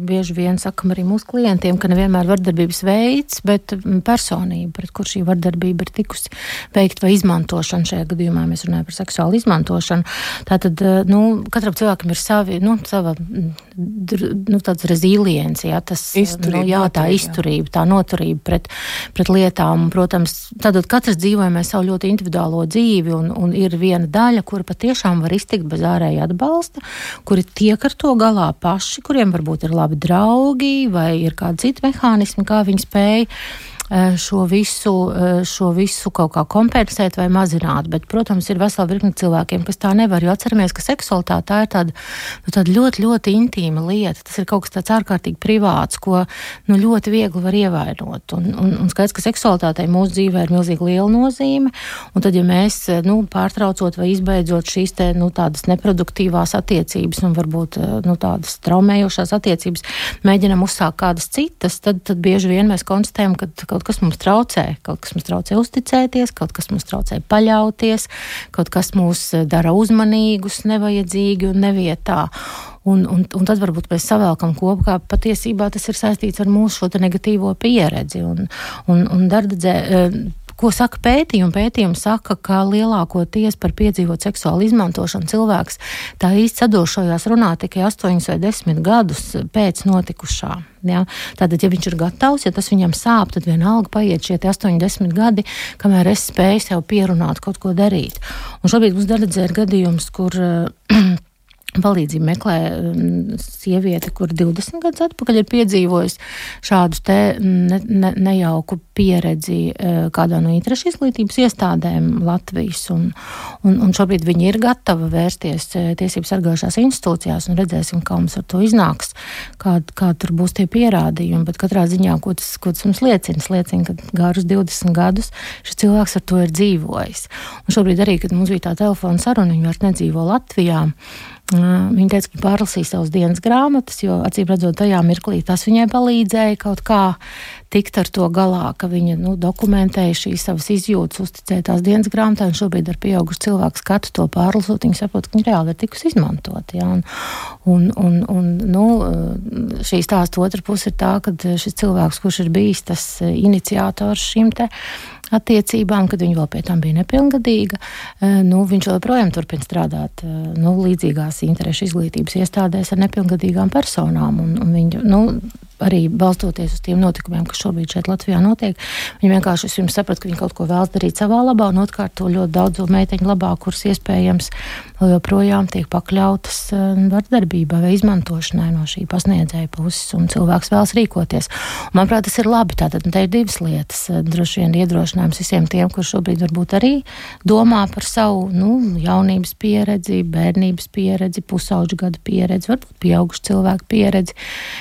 bieži vien sakam arī mūsu klientiem, ka nevienmēr vardarbības veids, bet personība, pret kur šī vardarbība ir tikusi veikt vai izmantošana. Šajā gadījumā mēs runājam par seksuālu izmantošanu. Tātad, nu, katram cilvēkam ir savi, nu, sava, nu, tāds rezilience, jā, tas, izturība, nu, jā, tā noturība, izturība, tā noturība pret, pret lietām. Un, protams, tātad katrs dzīvojam savu ļoti individuālo dzīvi, un, un ir viena daļa, kura patiešām var iztikt bez ārēja atbalsta, kuri tiek ar to galā paši, kuriem varbūt ir labi draugi vai ir kādi citi mehānismi, kā viņi spēj šo visu, šo visu kaut kā kompensēt vai mazināt. Bet, protams, ir vesela virkne cilvēkiem, kas tā nevar, jo atceramies, ka seksualitāte tā ir tāda, nu, tāda ļoti, ļoti intīma lieta. Tas ir kaut kas tāds ārkārtīgi privāts, ko nu, ļoti viegli var ievainot. Un, un, un skaidrs, ka seksualitātei mūsu dzīvē ir milzīgi liela nozīme, un tad, ja mēs, nu, pārtraucot vai izbeidzot šīs te, nu, tādas neproduktīvās attiecības un varbūt, nu, tādas traumējošās attiecības, mēģinam uzsākt kādas citas, tad, tad bieži vien mēs konstatējam, ka kaut kas mums traucē, kaut kas mums traucē uzticēties, kaut kas mums traucē paļauties, kaut kas mūs dara uzmanīgus, nevajadzīgi un nevietā. Un, un, un tad varbūt mēs savēlkam kopā, ka patiesībā tas ir saistīts ar mūsu šo te negatīvo pieredzi. Un, un, un dardedzē, ko saka pētījumi? Pētījumi saka, ka lielākoties par piedzīvot seksuālu izmantošanu cilvēks tā īsti sadošojās runā tikai astoņus vai desmit gadus pēc notikušā. Ja? Tātad, ja viņš ir gatavs, ja tas viņam sāp, tad vienalga paiet šie astoņi desmit gadi, kamēr es spēju sev pierunāt kaut ko darīt. Un šobrīd mums dardedzē ir gadījums, kur palīdzību meklē sieviete, kur divdesmit gadus atpakaļ ir piedzīvojusi šādu te ne, ne, nejauku pieredzi kādā no interešu izglītības iestādēm Latvijas. Un, un, un šobrīd viņi ir gatavi vērsties tiesību sargājušās institūcijās un redzēsim, kā mums ar to iznāks, kā, kā tur būs tie pierādījumi. Bet katrā ziņā, ko tas, ko tas mums liecina, liecina, ka gārus divdesmit gadus šis cilvēks ar to ir dzīvojis. Un šobrīd arī, kad mums bija tā telefona saruna, viņi vairs nedzīvo Latvijā. Viņa teica, ka pārlasīja savas dienas grāmatas, jo acīm redzot tajā mirklī tas viņai palīdzēja kaut kā tikt ar to galā, ka viņa nu, dokumentēja šīs savas izjūtas, uzticēja tās dienas grāmatā, un šobrīd ar pieaugušu cilvēku skatu to pārlasot, viņa saprot, ka viņa reāli ir tikus izmantot. Ja? Un, un, un, un nu, šī stāsta otra puse ir tā, ka šis cilvēks, kurš ir bijis tas iniciators šim te attiecībām, kad viņa vēl pie tam bija nepilngadīga, nu, viņš joprojām turpina strādāt nu, līdzīgās interešu izglītības iestādēs ar nepilngadīgām personām. Un, un viņa, nu, arī balstoties uz tiem notikumiem, kas šobrīd šeit Latvijā notiek, viņi vienkārši vispirms saprat, ka viņi kaut ko vēlas darīt savā labā, un otrkārt to ļoti daudzu meiteņu labā, kuras iespējams vēl joprojām tiek pakļautas vardarbībai vai izmantošanai no šī pasniedzēja puses, un cilvēks vēlas rīkoties. Un, manuprāt, tas ir labi. Tātad te ir divas lietas. Droši vien iedrošinājums visiem tiem, kur šobrīd varbūt arī domā par savu nu, jaunības pieredzi, bērnības pieredzi, pusauģu gadu pieredzi, varbūt pieaugušu cilvēku pieredzi,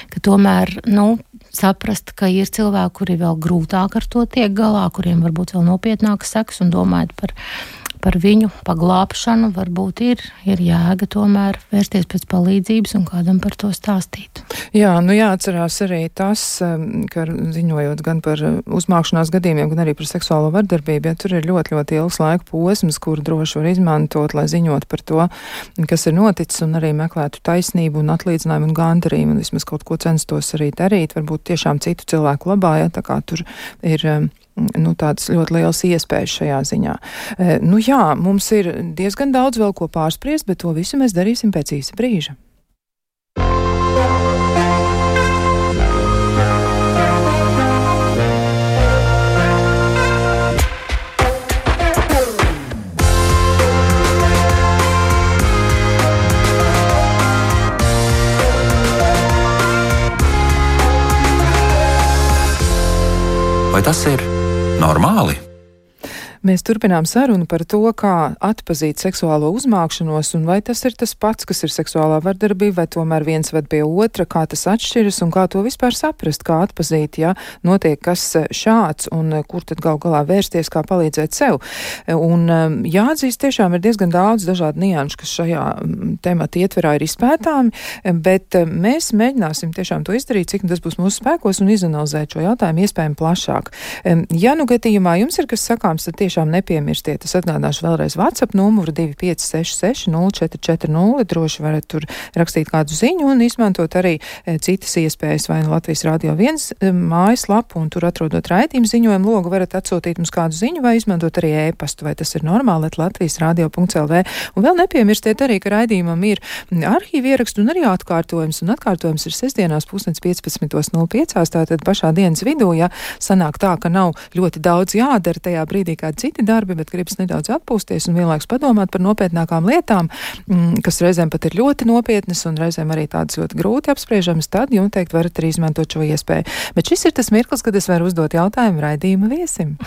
ka tomēr nu, saprast, ka ir cilvēki, kuri vēl grūtāk ar to tiek galā, kuriem varbūt vēl nopietnākas sekas, un domājot par, par viņu paglābšanu, varbūt ir, ir jēga tomēr vērsties pēc palīdzības un kādam par to stāstīt. Jā, nu jāatcerās arī tas, ka ziņojot gan par uzmākšanās gadījumiem, gan arī par seksuālo vardarbību, ja tur ir ļoti, ļoti ilgs laika posms, kuru droši var izmantot, lai ziņot par to, kas ir noticis, un arī meklētu taisnību un atlīdzinājumu un gandarījumu, un vismaz kaut ko censtos arī darīt, varbūt tiešām citu cilvēku labā, ja, tā kā tur ir nu, tādas ļoti lielas iespējas šajā ziņā. E, nu jā, mums ir diezgan daudz vēl ko pārspriest, bet to visu mēs darīsim pēc īsa brīža. Vai tas ir normāli? Mēs turpinām sarunu par to, kā atpazīt seksuālo uzmākšanos un vai tas ir tas pats, kas ir seksuālā vardarbība, vai tomēr viens ved pie otra, kā tas atšķiras un kā to vispār saprast, kā atpazīt, ja notiek kas šāds un kur tad gal galā vērsties, kā palīdzēt sev. Un jāatzīst, tiešām ir diezgan daudz dažādu nianšu, kas šajā temata ietverā ir izpētāmi, bet mēs mēģināsim tiešām to izdarīt, cik tas būs mūsu spēkos un izanalizēt šo jautājumu iespējami plašāk. Ja nu gadījumā jums ir kas sakāms, tad tiešām nepiemirstiet. Es atgādināšu vēlreiz WhatsApp numuru divi pieci seši seši nulle četri četri nulle. Droši varat tur rakstīt kādu ziņu un izmantot arī e, citas iespējas, vai nu Latvijas Radio viens e, mājaslapu, un tur atrodot raidījumu ziņojumu logu varat atsūtīt mums kādu ziņu vai izmantot arī e-pastu, vai tas ir normāli, at latvijas radio punkts el vē. Un vēl nepiemirstiet arī, ka raidījumam ir arhīvi ierakstu un arī atkārtojums, un atkārtojums ir sestdienās pusdienas piecpadsmit nulle pieci, tātad pašā dienas vidū, ja sanāk tā, ka nav ļoti daudz jādara tajā brīdī, kādi citi darbi, bet gribas nedaudz atpūsties un vienlaikus padomāt par nopietnākām lietām, kas reizēm pat ir ļoti nopietnas un reizēm arī tādas ļoti grūti apspriežamas, tad jums teikt varat arī izmantot šo iespēju. Bet šis ir tas mirklis, kad es varu uzdot jautājumu raidījuma viesim.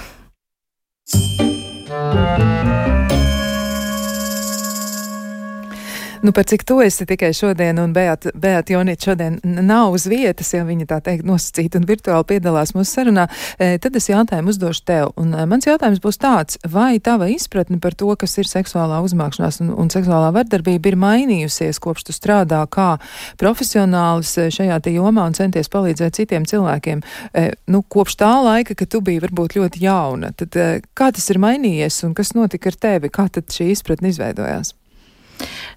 Nu, par cik tu esi tikai šodien, un Beata, Beata Jonīte šodien nav uz vietas, ja viņa tā teikt nosacīta un virtuāli piedalās mūsu sarunā, tad es jautājumu uzdošu tev. Un mans jautājums būs tāds, vai tava izpratne par to, kas ir seksuālā uzmākšanās un, un seksuālā vardarbība, ir mainījusies, kopš tu strādā kā profesionālis šajā te jomā un centies palīdzēt citiem cilvēkiem? Nu, kopš tā laika, kad tu biji varbūt ļoti jauna, tad kā tas ir mainījies un kas notika ar tevi? Kā tad šī izpratne izveidojās?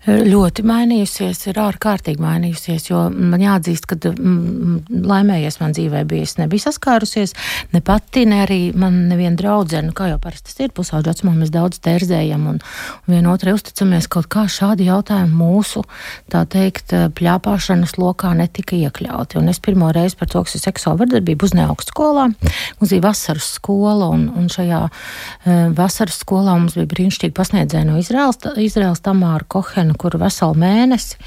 Ļoti mainījusies, ir ārkārtīgi mainījusies, jo man jāatzīst, ka mm, laimējies man dzīvē bija, es nebiju saskārusies, ne pati, ne arī man neviena draudzene, kā jau parasti tas ir, pusauģu vecumā mēs daudz terzējam un, un vienotrai uzticamies, kaut kā šādi jautājumi mūsu, tā teikt, pļāpāšanas lokā netika iekļauti. Un es pirmo reizi par to, kas ir seksuāla vardarbība, uznēju augstskolā, mums bija vasaras skola, un, un šajā uh, vasaras skolā mums bija brīnišķīgi pasniedzēji no Izraels, Izraels Tamāra Kohena, kur veselu mēnesi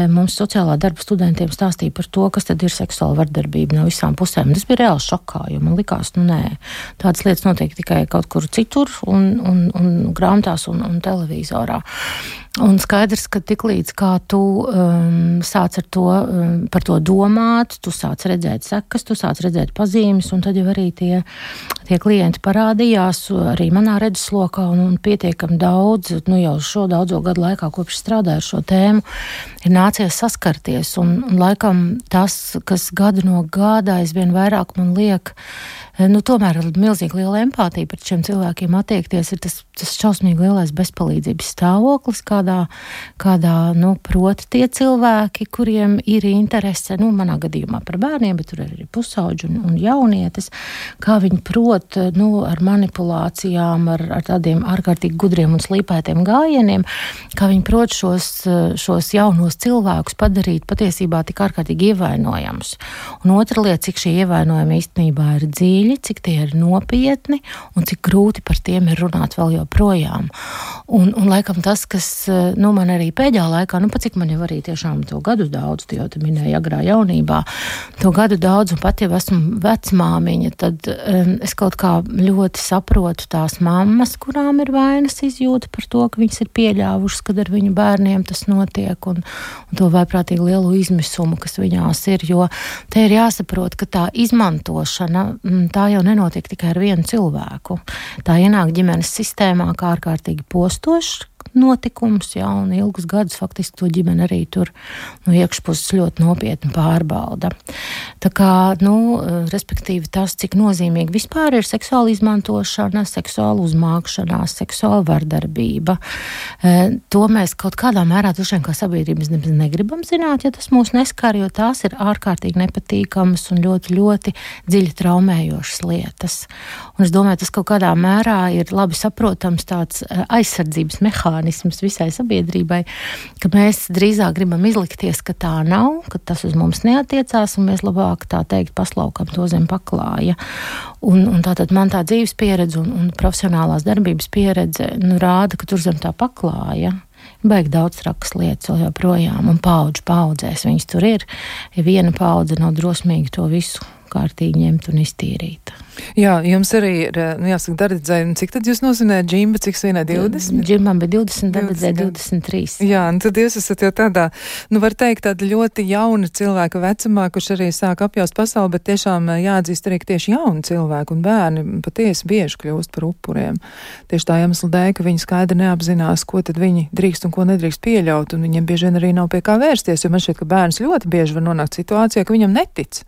mums sociālā darba studentiem stāstīja par to, kas tad ir seksuāla vardarbība no visām pusēm. Tas bija reāli šokā, jo man likās, nu nē, tādas lietas notiek tikai kaut kur citur un, un, un grāmatās un, un televizorā. Un skaidrs, ka tiklīdz kā tu um, sāc ar to, um, par to domāt, tu sāc redzēt sekas, tu sāc redzēt pazīmes, un tad jau arī tie, tie klienti parādījās arī manā redzeslokā, un, un pietiekami daudz, nu jau šo daudzo gadu laikā, kopš strādāju ar šo tēmu, ir nācies saskarties, un, un laikam tas, kas gadu no gada aizvien vairāk man liek, nu tomēr ar milzīgi liela empātija pret šiem cilvēkiem attiekties, ir tas, tas šausmīgi lielais bezpalīdzības stāvoklis, kādā, kādā, nu, proti tie cilvēki, kuriem ir interese, nu, manā gadījumā par bērniem, bet tur ir arī pusauģi un, un jaunietis, kā viņi prot, nu, ar manipulācijām, ar, ar tādiem ārkārtīgi gudriem un slīpētiem gājieniem, kā viņi prot šos, šos jaunos cilvēkus padarīt patiesībā tik ārkārtīgi ievainojamus. Un otra lieta, cik šī ievainojuma īstenībā ir dziļi, cik tie ir nopietni un cik grūti par tiem ir runāt vēl joprojām. Un, un laikam tas, kas, nu, man arī pēdējā laikā, nu, pat cik man jau arī tiešām to gadu daudz, tu jau te minēji agrā jaunībā, to gadu daudz, un pat jau esmu vecmāmiņa, tad um, es kaut kā ļoti saprotu tās mammas, kurām ir vainas izjūta par to, ka viņas ir pieļāvušas, kad ar viņu bērniem tas notiek, un, un to vaiprātīgi lielu izmisumu, kas viņās ir, jo te ir jāsaprot, ka tā izmantošana, tā jau nenotiek tikai ar vienu cilvēku. Tā ienāk ģimenes sistēmā kā ārkārtīgi postošs notikums, jā, un ilgus gadus faktiski to ģimene arī tur no iekšpuses ļoti nopietni pārbauda. Tā kā, nu, respektīvi tas, cik nozīmīgi vispār ir seksuāla izmantošana, seksuāla uzmākšanās, seksuāla vardarbība. To mēs kaut kādā mērā droši vien kā sabiedrības negribam zināt, ja tas mūs neskar, jo tās ir ārkārtīgi nepatīkamas un ļoti, ļoti dziļi traumējošas lietas. Un es domāju, tas kaut kādā mērā ir labi saprotams tāds aizsardzības mehānisms visai sabiedrībai, ka mēs drīzāk gribam izlikties, ka tā nav, ka tas uz mums neatiecās, un mēs labāk tā teikt paslaukam to zem paklāja. Un, un tātad man tā dzīves pieredze un, un profesionālās darbības pieredze, nu, rāda, ka tur zem tā paklāja baigi daudz trakas lietas vēl joprojām, un paudžu paudzēs viņas tur ir. Ja viena paudze nav drosmīga to visu kārtīgi ņemta un iztīrīta. Jā, jums arī ir, nu jāsaka, Dardzei, cik tad jūs nozinājāt džimba, cik vienai divdesmit? Džimbam bija divdesmit, Dardzei divdesmit trīs. Jā, un tad jūs esat jau tādā, nu var teikt, tāda ļoti jauna cilvēka vecumā, kurš arī sāk apjaust pasauli, bet tiešām jāatzīst arī, ka tieši jauni cilvēki un bērni patiesi bieži kļūst par upuriem. Tieši tā iemesla dēļ, ka viņi skaidri neapzinās, ko tad viņi drīkst un ko nedrīkst pieļaut, un viņiem bieži vien arī nav pie kā vērsties, jo man šķiet, ka bērns ļoti bieži var nonākt situācijā, ka viņam netic.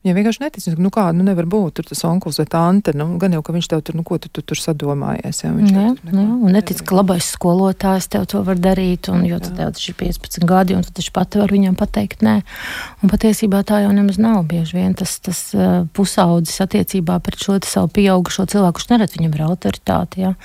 Viņam vienkārši netic, nu kā, nu nevar būt, tur tas onkuls vai tante, nu gan jau, ka viņš tev tur, nu ko tu, tu tur sadomājies, jā, viņš jā, tev tur jā, un netic, ka labais skolotājs tev to var darīt, un jo tad tev taču ir piecpadsmit gadi, un tu taču pati var viņam pateikt nē, un patiesībā tā jau nemaz nav bieži vien tas, tas uh, pusaudzis attiecībā pret šo savu pieaugušo cilvēku, kurš neredz viņam ir autoritāte, jā.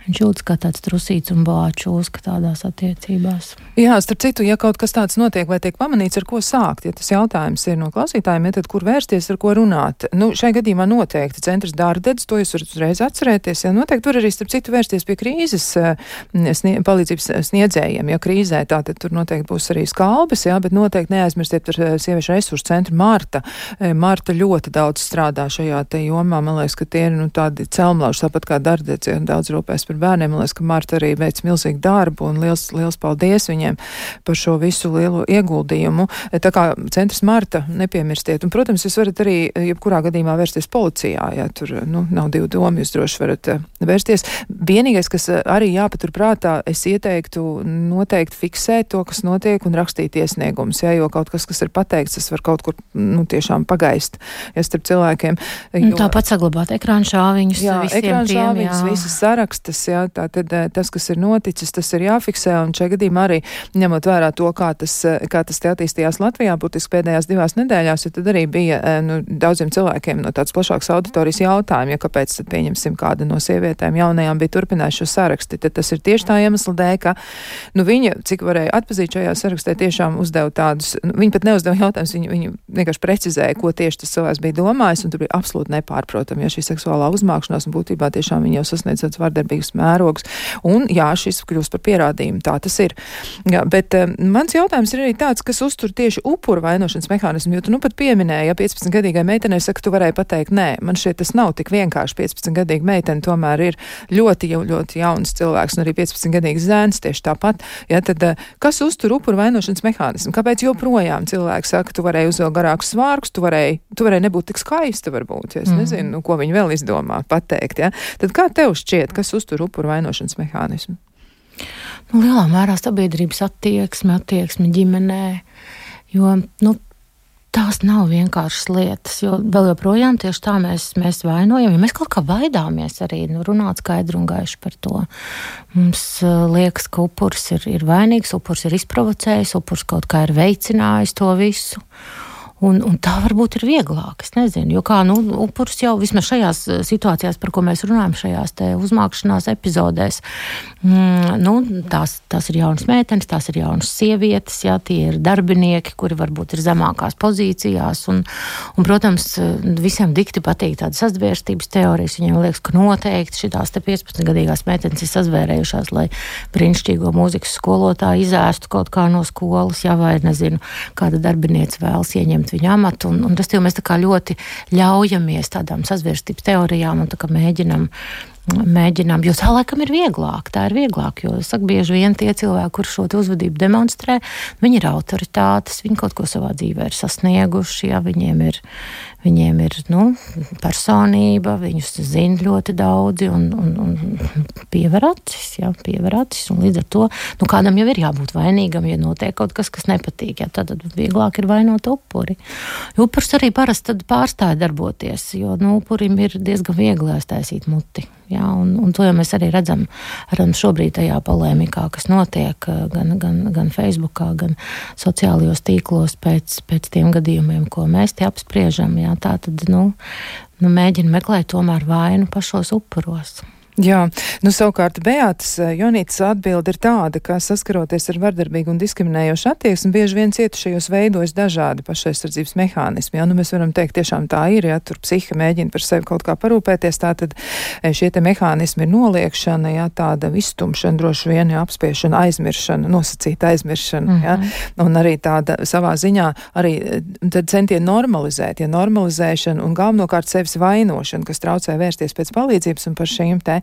Viņš jūtas kā tāds trusīts un bāčūs, ka tādās attiecībās. Jā, starp citu, ja kaut kas tāds notiek vai tiek pamanīts, ar ko sākt, ja tas jautājums ir no klausītājiem, ja tad kur vērsties, ar ko runāt? Nu, šai gadījumā noteikti centrs Dārdedz, to jūs varat uzreiz atcerēties, ja noteikti var arī starp citu vērsties pie krīzes snie, palīdzības sniedzējiem, ja krīzē, tātad tur noteikti būs arī skalbes, jā, bet noteikti neaizmirstiet par sieviešu resursu centru Marta. Marta ļoti daudz strādā šajā te jomā, man liekas, ka tie ir, nu, tādi celmlauži, tāpat kā Dārdedz, ja daudz rūpēs par bērniem. Man liekas, ka Marta arī veic milzīgu darbu un liels, liels paldies viņiem par šo visu lielo ieguldījumu. Tā kā centrs Marta, nepiemirstiet. Un, protams, jūs varat arī jebkurā gadījumā vērsties policijā, ja tur, nu, nav divu domu, jūs droši varat vērsties. Vienīgais, kas arī jāpatur prātā, es ieteiktu noteikti fiksēt to, kas notiek un rakstīt iesniegumus, ja, jo kaut kas, kas ir pateikts, tas var kaut kur, nu, tiešām pagaist, ja starp cilvēkiem. Jo, tāpat saglabāt ekrāna šāviņus jā, visiem ekrāna tiem, šāviņus, jā. visas sarakstas, jā, tātad tas, kas ir noticis, tas ir jāfiksē, un šajā gadījumā arī ņemot vērā to, kā tas, kā tas te attīstījās Latvijā, būtiski pēdējās divās nedēļās, jo tad arī bija, nu, daudziem cilvēkiem no tāds plašāks auditorijas jautājumi, ja kāpēc tad pieņemsim kāda no sievietēm jaunajām bija turpinājuši šo saraksti, tad tas ir tieši tā iemesla dēļ, ka, nu, viņa, cik varēja atpazīt šajā sarakstē, tiešām uzdeva tādus, nu, viņa pat neuzdeva jautājumus, viņa, viņa vienkārši precizēja, ko tieši tas cilvēks bija domājis, un tur bija absolūti nepārprotami, ja šī seksuālā uzmākšanās, un būtībā tiešām viņa jau sasniedz tāds vardarbīgs mērogs. Un jā, šis kļūst par pierādījumu, tā tas ir. Jā, bet um, mans jautājums ir arī tāds, kas uztur tieši upuru vainošanas mehānismu, jo tu nu pat pieminēji, ja piecpadsmitgadīgai meitenei saka, tu varēji pateikt, nē, man šeit tas nav tik vienkārši. piecpadsmitgadīga meitene tomēr ir ļoti, ļoti jauns cilvēks, un arī piecpadsmitgadīgs zēns tieši tāpat. Ja, tad, uh, kas uztur upuru vainošanas mehānismu? Kāpēc joprojām cilvēki saka, tu varēji uzvēl garākus svārkus, tu varēji, tu varēji nebūt tik skaista varbūt, ja es mm. nezinu, nu, ko viņi vēl izdomā pateikt, ja? Tad kā tev šķiet, kas uztur upuru vainošanas mehānismu? Nu, lielā mērā sabiedrības attieksme, attieksme ģimenē, jo, nu, tās nav vienkāršas lietas, jo vēl joprojām tieši tā mēs, mēs vainojam, ja mēs kaut kā baidāmies arī, nu, runāt skaidru un gaišu par to. Mums uh, liekas, ka upurs ir, ir vainīgs, upurs ir izprovocējis, upurs kaut kā ir veicinājis to visu. Un, un tā varbūt ir vieglāk, es nezinu, jo kā, nu, upurs jau vismaz šajās situācijās, par ko mēs runājam, šajās te uzmākšanās epizodēs, mm, nu, tās, tās ir jaunas meitenes, tās ir jaunas sievietes, jā, tie ir darbinieki, kuri varbūt ir zemākās pozīcijās, un, un protams, visiem dikti patīk tāda sazvērstības teorijas, viņiem liekas, ka noteikti šitās te piecpadsmitgadīgās meitenes ir sazvērējušās, lai brīnišķīgo mūzikas skolotāju izēstu kaut kā no skolas, jā, vai, nezinu, kāda darbiniece vēlas ieņemt viņu amatu, un, un tas jau mēs tā kā ļoti ļaujamies tādām sazvērstības teorijām un tā kā mēģinam, mēģinām, jo tā laikam ir vieglāk, tā ir vieglāk, jo, saka, bieži vien tie cilvēki, kur šo te uzvedību demonstrē, viņi ir autoritātes, viņi kaut ko savā dzīvē ir sasnieguši, jā, viņiem ir, viņiem ir, nu, personība, viņus zina ļoti daudzi un, un, un piever acis, jā, piever acis, un līdz ar to, nu, kādam jau ir jābūt vainīgam, ja notiek kaut kas, kas nepatīk, jā, tad vieglāk ir vainot upuri. Jo upurs arī parasti tad pārstāja darboties, jo, nu, upurim ir diezgan viegli aiztaisīt muti. Jā, un, un to jau mēs arī redzam, redzam šobrīd tajā polēmikā, kas notiek gan, gan, gan Facebookā, gan sociālajos tīklos pēc, pēc tiem gadījumiem, ko mēs te apspriežam. Jā, tā tad, nu, nu, mēģina meklēt tomēr vainu pašos upuros. Jā, nu savukārt Beatas Jonītas atbilde ir tāda, ka saskaroties ar vardarbīgu un diskriminējošu attieksmi, bieži vien cietušajos veidojas dažādi pašaizsardzības mehānismi. Jā, nu mēs varam teikt, tiešām tā ir, ja tur psiha mēģina par sevi kaut kā parūpēties, tā tad šie te mehānismi ir noliekšana, jā, tāda izstumšana, droši vien, jā, apspiešana, aizmiršana, nosacīta aizmiršana, mm-hmm. jā, un arī tāda savā ziņā arī tad centieni normalizēt, ja normalizēšana un galvenokārt sevis vainošana, kas traucē vērsties pēc palīdzības un par šīm te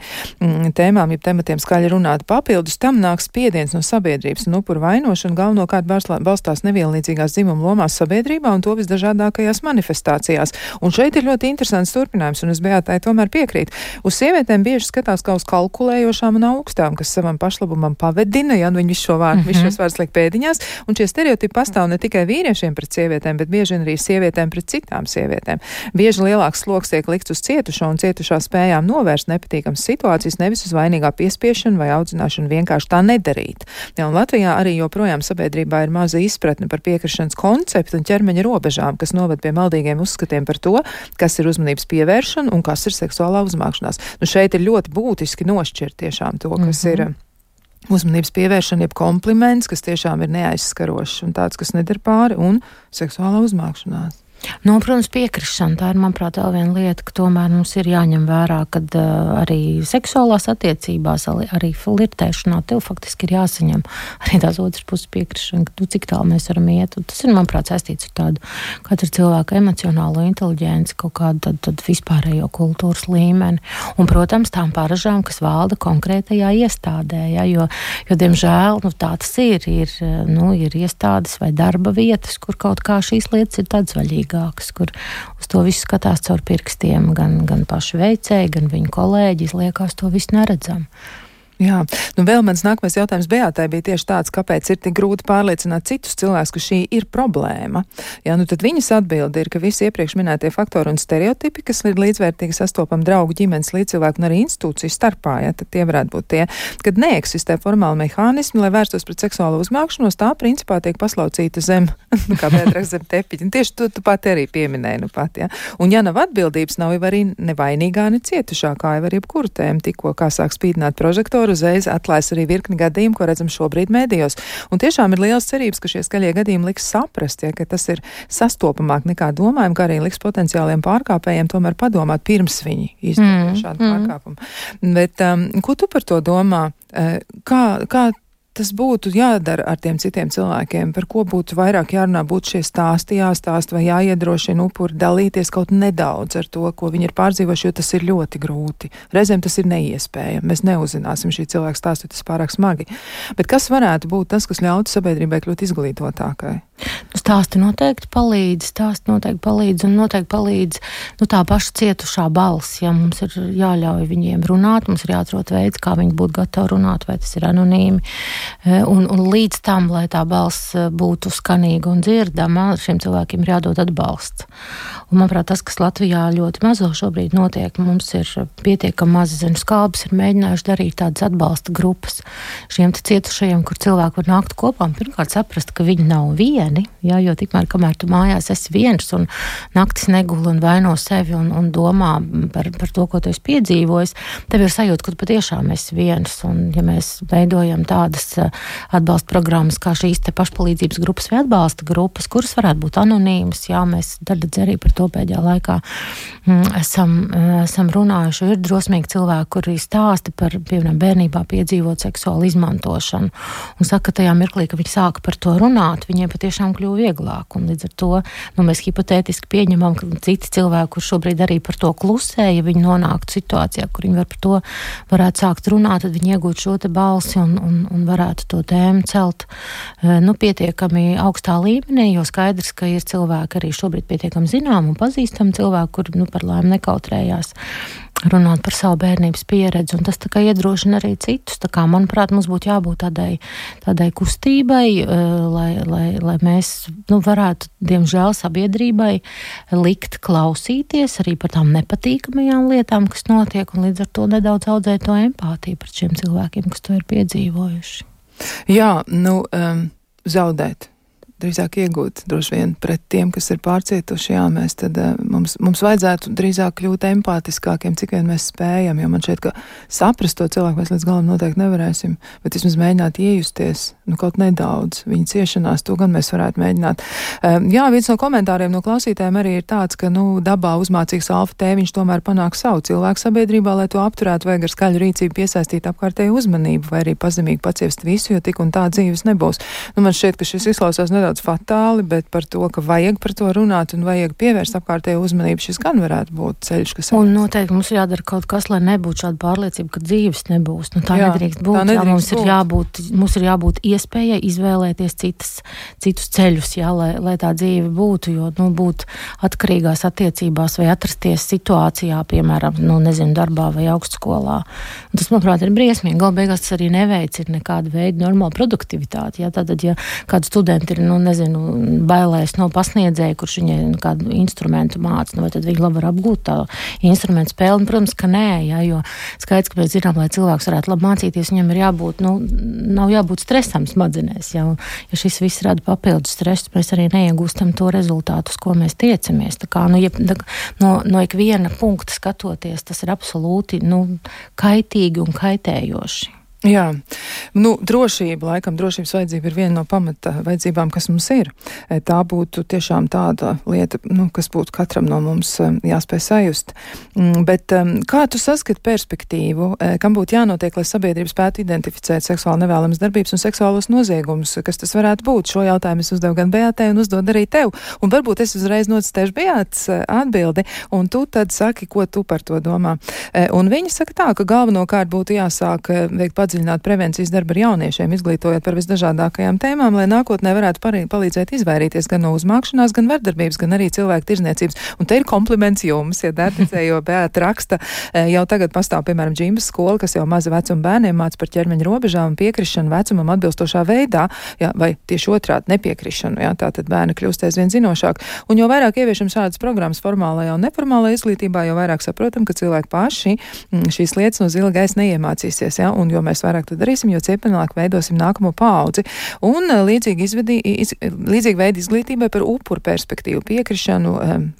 tēmām, ja tematiem skaļi runāt papildus, tam nāks spiediens no sabiedrības un upuru vainošana galvenokārt balstās nevienlīdzīgās dzimuma lomās sabiedrībā un to visdažādākajās manifestācijās. Un šeit ir ļoti interesants turpinājums, un es Beatai tomēr piekrītu. Uz sievietēm bieži skatās kā uz kalkulējošām un augstām, kas savam pašlabumam pavedina, ja nu viņi visu šo vārdu, mm-hmm. visu šos vārdus liek pēdiņās, un šie stereotipi pastāv ne tikai vīriešiem pret sievietēm, bet bieži arī sievietēm pret citām sievietēm. Bieži lielāks sloks tiek likts uz cietušo un cietušā spējām novērst nepatīkams situācijas, nevis uz vainīgā piespiešanu vai audzināšanu vienkārši tā nedarīt. Ja, un Latvijā arī joprojām sabiedrībā ir maza izpratne par piekrišanas konceptu un ķermeņa robežām, kas noved pie maldīgiem uzskatiem par to, kas ir uzmanības pievēršana un kas ir seksuālā uzmākšanās. Nu, šeit ir ļoti būtiski nošķirt tiešām to, kas mm-hmm. ir uzmanības pievēršana, jeb kompliments, kas tiešām ir neaizskarošs un tāds, kas nedara pāri, un seksuālā uzmākšanās. Nu, protams, piekrišana, tā ir, manuprāt, vēl viena lieta, ka tomēr mums ir jāņem vērā, kad uh, arī seksuālās attiecībās, arī flirtēšanā, tev faktiski ir jāsaņem arī tās otras puses piekrišana, ka tu cik tālu mēs varam iet. Un tas ir, manuprāt, saistīts ar tādu katra cilvēka emocionālo inteliģenci, kaut kādu tad, tad vispārējo kultūras līmeni. Un, protams, tām paražām, kas valda konkrētajā iestādē, ja, jo, jo, diemžēl, nu, tā tas ir, ir, nu, ir iestādes vai darba vietas, kur kaut kā šīs lietas ir tādas vaļīgas. Kur uz to visu skatās caur pirkstiem, gan, gan paši veicēji, gan viņu kolēģis, liekas, to visu neredzam. Jā, nu vēl mans nākamais jautājums Beatai bija tieši tāds, kāpēc ir tik grūti pārliecināt citus cilvēkus, ka šī ir problēma. Jā, nu tad viņas atbilde ir, ka visi iepriekš minētie faktori un stereotipi, kas ir līdzvērtīgi sastopam draugu, ģimenes, līdzcilvēku un arī institūciju starpā, jā, tad tie varētu būt tie, kad neeksistē formāli mehānismi, lai vērstos pret seksuālo uzmākšanos, tā principā tiek paslaucīta zem, nu kā Beatraks zem tepiņa. Tieši tu, tu pat arī pieminēji, nu pat, jā. Un ja nav atbildības, nav jau arī nevainīgā, ne cietušā, kā jau ar jebkuru tēmu, tikko kā sāk spīdināt prožektoru, uzreiz atklājas arī virkni gadījumu, ko redzam šobrīd mēdījos. Un tiešām ir liels cerības, ka šie skaļie gadījumi liks saprast, ja, ka tas ir sastopamāk nekā domājam, ka arī liks potenciāliem pārkāpējiem tomēr padomāt pirms viņi izdara mm, šādu mm. pārkāpumu. Bet um, ko tu par to domā? Kā, kā tas būtu jādara ar tiem citiem cilvēkiem, par ko būtu vairāk jārunā, būtu šie stāsti jāstāst vai jāiedrošina upuri dalīties kaut nedaudz ar to, ko viņi ir pārdzīvojuši, jo tas ir ļoti grūti. Reizēm tas ir neiespējami. Mēs neuzzināsim šī cilvēka stāstu, tas pārāk smagi. Bet kas varētu būt tas, kas ļautu sabiedrībai kļūt izglītotākai? Stāsti noteikti palīdz, stāsti noteikti palīdz un noteikti palīdz nu, tā paša cietušā balss. Ja mums ir jāļauj viņiem runāt, mums ir jāatrod veids, kā viņi būtu gatavi runāt, vai tas ir anonīmi. Un, un līdz tam, lai tā balss būtu skanīga un dzirdama, šiem cilvēkiem ir jādod atbalsts. Un, manuprāt, tas, kas Latvijā ļoti mazo šobrīd notiek, mums ir pietiekami mazi zinu skalbas, ir mēģinājuši darīt tādas atbalsta grupas šiem cietušajiem, kur cilvēki var nākt kopā un pirmkārt saprast, ka viņi nav vieni, jā, jo tikmēr, kamēr tu mājās esi viens un naktis neguli un vaino sevi un, un domā par, par to, ko tu esi piedzīvojis, tev ir sajūta, ka tu patiešām esi viens. Un ja mēs veidojam tādas atbalsta programmas, kā šīs te pašpalīdzības grupas vai atbalsta grupas, kuras varētu būt anonīmas, jā, mēs daļai arī par to pēdējā laikā esam, esam runājuši. Ir drosmīgi cilvēki, kuri stāsta par, piemēram, bērnībā piedzīvot seksuālu izmantošanu un saka, ka tajā mirklī, ka viņi sāka par to runāt, viņiem patiešām kļuva vieglāk. Un līdz ar to nu, mēs hipotētiski pieņemam, ka citi cilvēki, kur šobrīd arī par to klusē, ja viņi nonāktu situācijā, kur viņi var par to varētu sākt runāt, tad viņi iegūtu šo te balsi un, un, un varētu to tēmu celt nu, pietiekami augstā līmenī, jo skaidrs, ka ir cilvēki arī šobrīd pietiekami zinām un pazīstam cilvēku, kuri nu, par laimi nekautrējās runāt par savu bērnības pieredzi, un tas tā kā iedrošina arī citus. Tā kā, manuprāt, mums būtu jābūt tādai, tādai kustībai, lai, lai, lai mēs nu, varētu, diemžēl, sabiedrībai likt klausīties arī par tām nepatīkamajām lietām, kas notiek, un līdz ar to nedaudz audzēt to empātiju pret šiem cilvēkiem, kas to ir piedzīvojuši. Jā, nu, um, zaudēt. drīzāk iegūt droši vien pret tiem, kas ir pārcietuši, jā, mēs tad mums, mums vajadzētu drīzāk kļūt empātiskākiem, cik vien mēs spējam, jo man šķiet, ka saprast to cilvēku mēs līdz galam noteikti nevarēsim, bet vismaz mēģināt iejusties, nu kaut nedaudz viņa ciešanās, to gan mēs varētu mēģināt. Jā, viens no komentāriem no klausītājiem arī ir tāds, ka, nu, dabā uzmācīgs alfa tēviņš tomēr panāk savu cilvēku sabiedrībā, lai to apturētu, vajag ar skaļu rīcību piesaistīt apkārtēju uzmanību, vai arī pazemīgi paciest visu, jo tik un tā dzīves nebūs. Nu, man šķiet, ka šis izklausās nedaudz fatāli, bet par to, ka vajag par to runāt un vajag pievērst apkārtēju uzmanību, šis gan varētu būt ceļš, kas... Un noteikti mums jādara kaut kas, lai nebūtu šāda pārliecība, ka dzīves nebūs. Nu, tā jā, nedrīkst būt. Tā nedrīkst jā, mums, būt. Ir jābūt, mums ir jābūt iespējai izvēlēties citas, citus ceļus, jā, lai, lai tā dzīve būtu, jo, nu, būt atkarīgās attiecībās vai atrasties situācijā, piemēram, nu, nezinu, darbā vai augstskolā. Un tas, manuprāt, ir briesmīgi. Galu beigās tas arī neveicina nekādu veidu normālu produktivitāti. Jā, tātad, ja kāds studenti ir, nu, nezinu, bailēs no pasniedzēja, kurš viņai kādu instrumentu māca, nu, vai tad viņi labi var apgūt tā instrumentu spēli? Un, protams, ka nē, jā, jo skaidrs, ka mēs zinām, lai cilvēks varētu labi mācīties, viņam ir jābūt, nu, nav jābūt stresam smadzenēs, jā, un, ja šis viss rada papildus stresu, mēs arī neiegūstam to rezultātu, uz ko mēs tiecamies. Tā kā, nu, ja, no, no ikviena punkta skatoties, tas ir absolūti, nu, kaitīgi un kaitējoši. Jā, nu, drošība, laikam drošības vajadzība ir viena no pamata vajadzībām, kas mums ir. Tā būtu tiešām tāda lieta, nu, kas būtu katram no mums jāspēj sajust. Bet kā tu saskati perspektīvu, kam būtu jānotiek, lai sabiedrība spētu identificēt seksuāli nevēlamas darbības un seksuālos noziegumus, kas tas varētu būt? Šo jautājumu es uzdevu gan Beātei un uzdod arī tev. Un varbūt es uzreiz nocitēšu Beātas atbildi, un tu tad saki, ko tu par to domā. Un viņi saka tā, ka galvenokārt būtu jāsāk veikt padziļināt prevencijas darbu ar jauniešiem, izglītojot par visdažādākajām tēmām, lai nākotnē varētu palīdzēt izvairīties gan no uzmākšanās, gan vardarbības, gan arī cilvēku tirzniecības. Un te ir kompliments jums, ja dārticē, jo Beāta raksta, jau tagad pastāv, piemēram, džimbas skola, kas jau maza vecuma bērniem māca par ķermeņa robežām un piekrišanu vecumam atbilstošā veidā, jā, vai tieši otrādi nepiekrišanu, jā, tātad bērni kļūst aizvien zinošāk. Un jo vairāk ieviešam šādas programmas formālajā un neformālajā izglītībā, jo vairāk saprotam, ka cilvēki paši šīs lietas no zila gaisa neiemācīsies, jā, un jo mēs vairāk to darīsim, jo ciepenāk veidosim nākamo paudzi. Un līdzīgi, izvedī, iz, līdzīgi veidi izglītībai par upuru perspektīvu, piekrišanu,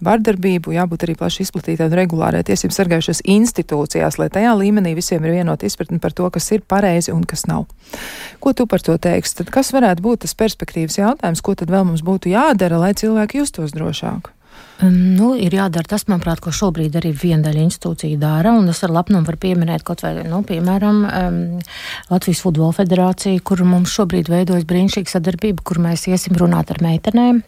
vardarbību, jābūt arī plaši izplatītā un regulārai tiesību sargājušās institūcijās, lai tajā līmenī visiem ir vienota izpratne par to, kas ir pareizi un kas nav. Ko tu par to teiksi? Tad kas varētu būt tas perspektīvas jautājums, ko tad vēl mums būtu jādara, lai cilvēki justos drošāk? Um, nu, ir jādara tas, manuprāt, ko šobrīd arī viena daļa institūcija dara, un es ar lepnumu varu pieminēt kaut vai, nu, piemēram, um, Latvijas Futbola federācija, kur mums šobrīd veidojas brīnišķīga sadarbība, kur mēs iesim runāt ar meitenēm,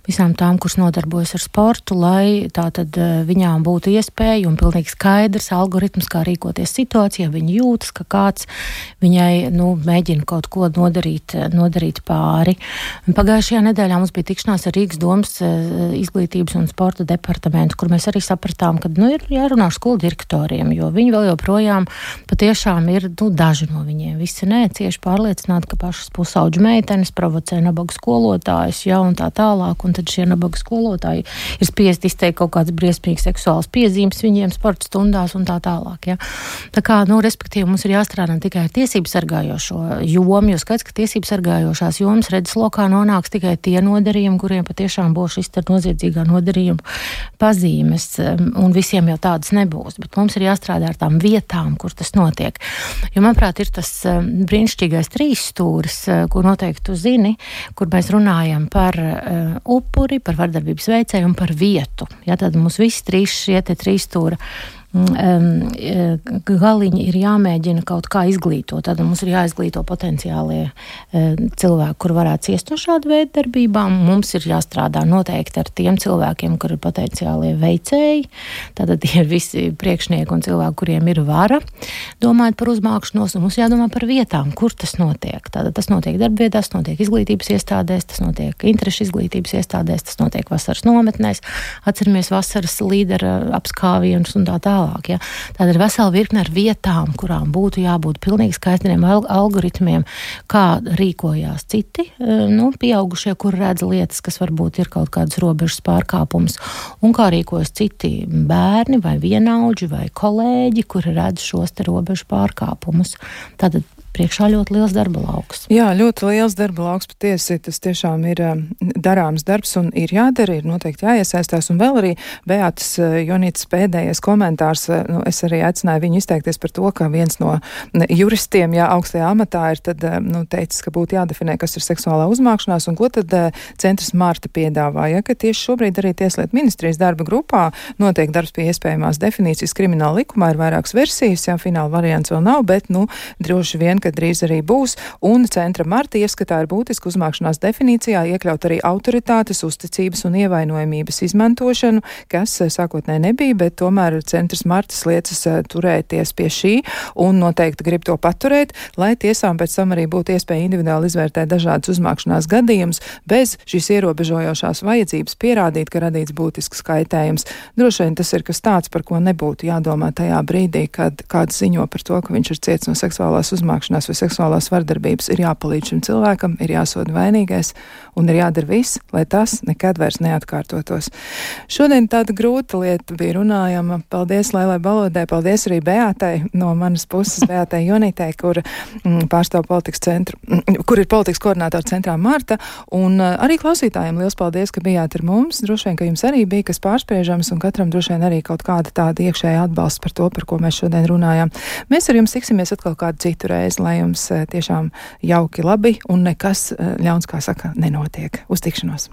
visām tām, kuras nodarbojas ar sportu, lai tātad viņām būtu iespēja un pilnīgi skaidrs algoritms, kā rīkoties situācijā, viņi jūtas, ka kāds viņai, nu, mēģina kaut ko nodarīt, nodarīt pāri. Pagājušajā nedēļā mums bija tikšanās ar Rīgas domas izglītības un sporta departamentu, kur mēs arī sapratām, ka, nu, ir jārunā ar skolu direktoriem, jo viņi vēl joprojām patiešām ir, nu, daži no viņiem. Visi nē, cieši pārliecināti, ka pašas pusauģu meitenes provocē nabagu skolotājus, ja, un tā tālāk, un tad šie nabagu skolotāji ir spiest izteikt kaut kāds briesmīgs seksuāls piezīmes viņiem sporta stundās un tā tālāk, ja. Tā kā, nu, respektīvi, mums ir jāstrādā tikai ar tiesību sargājošo jomu, jo skaidrs, ka tiesību sargājošās jomas redzeslokā nonāks tikai tie nodarījumi, kuriem patiešām būs šis te noziedzīgā nodarījuma pazīmes, un visiem jau tādas nebūs, bet mums ir jāstrādā ar tām vietām, kur tas notiek. Jo, manuprāt, ir tas brīnišķīgais trīs stūris, ko noteikti tu zini, kur mēs runājam par upuri, par vardarbības veicēju un par vietu. Ja, tad mums visi trīs šie te trīs stūra galiņi ir jāmēģina kaut kā izglītot. Tad mums ir jāizglīto potenciālie cilvēki, kur varētu ciest no šāda veida darbībām. Mums ir jāstrādā noteikti ar tiem cilvēkiem, kur ir potenciālie veicēji. Tātad tie ir visi priekšnieki un cilvēki, kuriem ir vara domāt par uzmākšanos, un mums jādomā par vietām, kur tas notiek. Tātad tas notiek darbvietās, tas notiek izglītības iestādēs, tas notiek interešu izglītības iestādēs, tas notiek vasaras nometnēs. Atceramies vasaras līdera apskāvienus un tā tā. Ja? Tāda ir vesela virkne ar vietām, kurām būtu jābūt pilnīgi skaidriem algoritmiem, kā rīkojās citi, nu, pieaugušie, kur redz lietas, kas varbūt ir kaut kādas robežas pārkāpums, un kā rīkojas citi bērni vai vienaudži vai kolēģi, kuri redz šos te robežu pārkāpumus. Tātad priekšā ļoti liels darba lauks. Jā, ļoti liels darba lauks patiesi. Tas tiešām ir darāms darbs un ir jādara, ir noteikti jāiesaistās. Un vēl arī Beatas Jonītas pēdējais komentārs, nu, es arī aicināju viņu izteikties par to, ka viens no juristiem, jā, augstajā amatā ir tad, nu, teicis, ka būtu jādefinē, kas ir seksuālā uzmākšanās, un ko tad centrs Marta piedāvāja, ka tieši šobrīd arī Tieslietu ministrijas darba grupā notiek darbs pie iespējamās definīcijas krimināla likumā, ir vairākas versijas, jā, fināla variants vēl nav, bet, nu, droši vien, ka drīz arī būs, un centra Marta ieskatā ir būtiski uzmākšanās definīcijā iekļaut arī autoritātes, uzticības un ievainojamības izmantošanu, kas sākotnēji nebija, bet tomēr centrs Martas liecas turēties pie šī un noteikti grib to paturēt, lai tiesām pēc tam arī būtu iespēja individuāli izvērtēt dažādas uzmākšanās gadījumus bez šīs ierobežojošās vajadzības pierādīt, ka radīts būtisks kaitējums. Droši vien tas ir kas tāds, par ko nebūtu jādomā tajā brīdī, kad kāds ziņo par to, ka viņš ir ciets no seksuālās uzmākšanās vai seksuālās vardarbības, ir jāpalīdz šim cilvēkam, ir jāsoda vainīgais un ir jādara viss, lai tas nekad vairs neatkārtotos. Šodien tāda grūta lieta bija runājama. Paldies Lailai Balodai, paldies arī Beatai no manas puses, Beatai Jonītei, kur mm, pārstāv politikas centru, mm, kur ir politikas koordinātora centrā Marta, un uh, arī klausītājiem liels paldies, ka bijāt ar mums. Droši vien, ka jums arī bija kas pārspriežams, un katram droši vien arī kaut kāda tāda iekšēja atbalsts par to, par ko mēs šodien runājām. Mēs ar jums tiksimies atkal kādu citu reizi, lai jums uh, tiešām jauki labi un nekas uh, ļauns, kā saka, nenotiek. Uz tikšanos!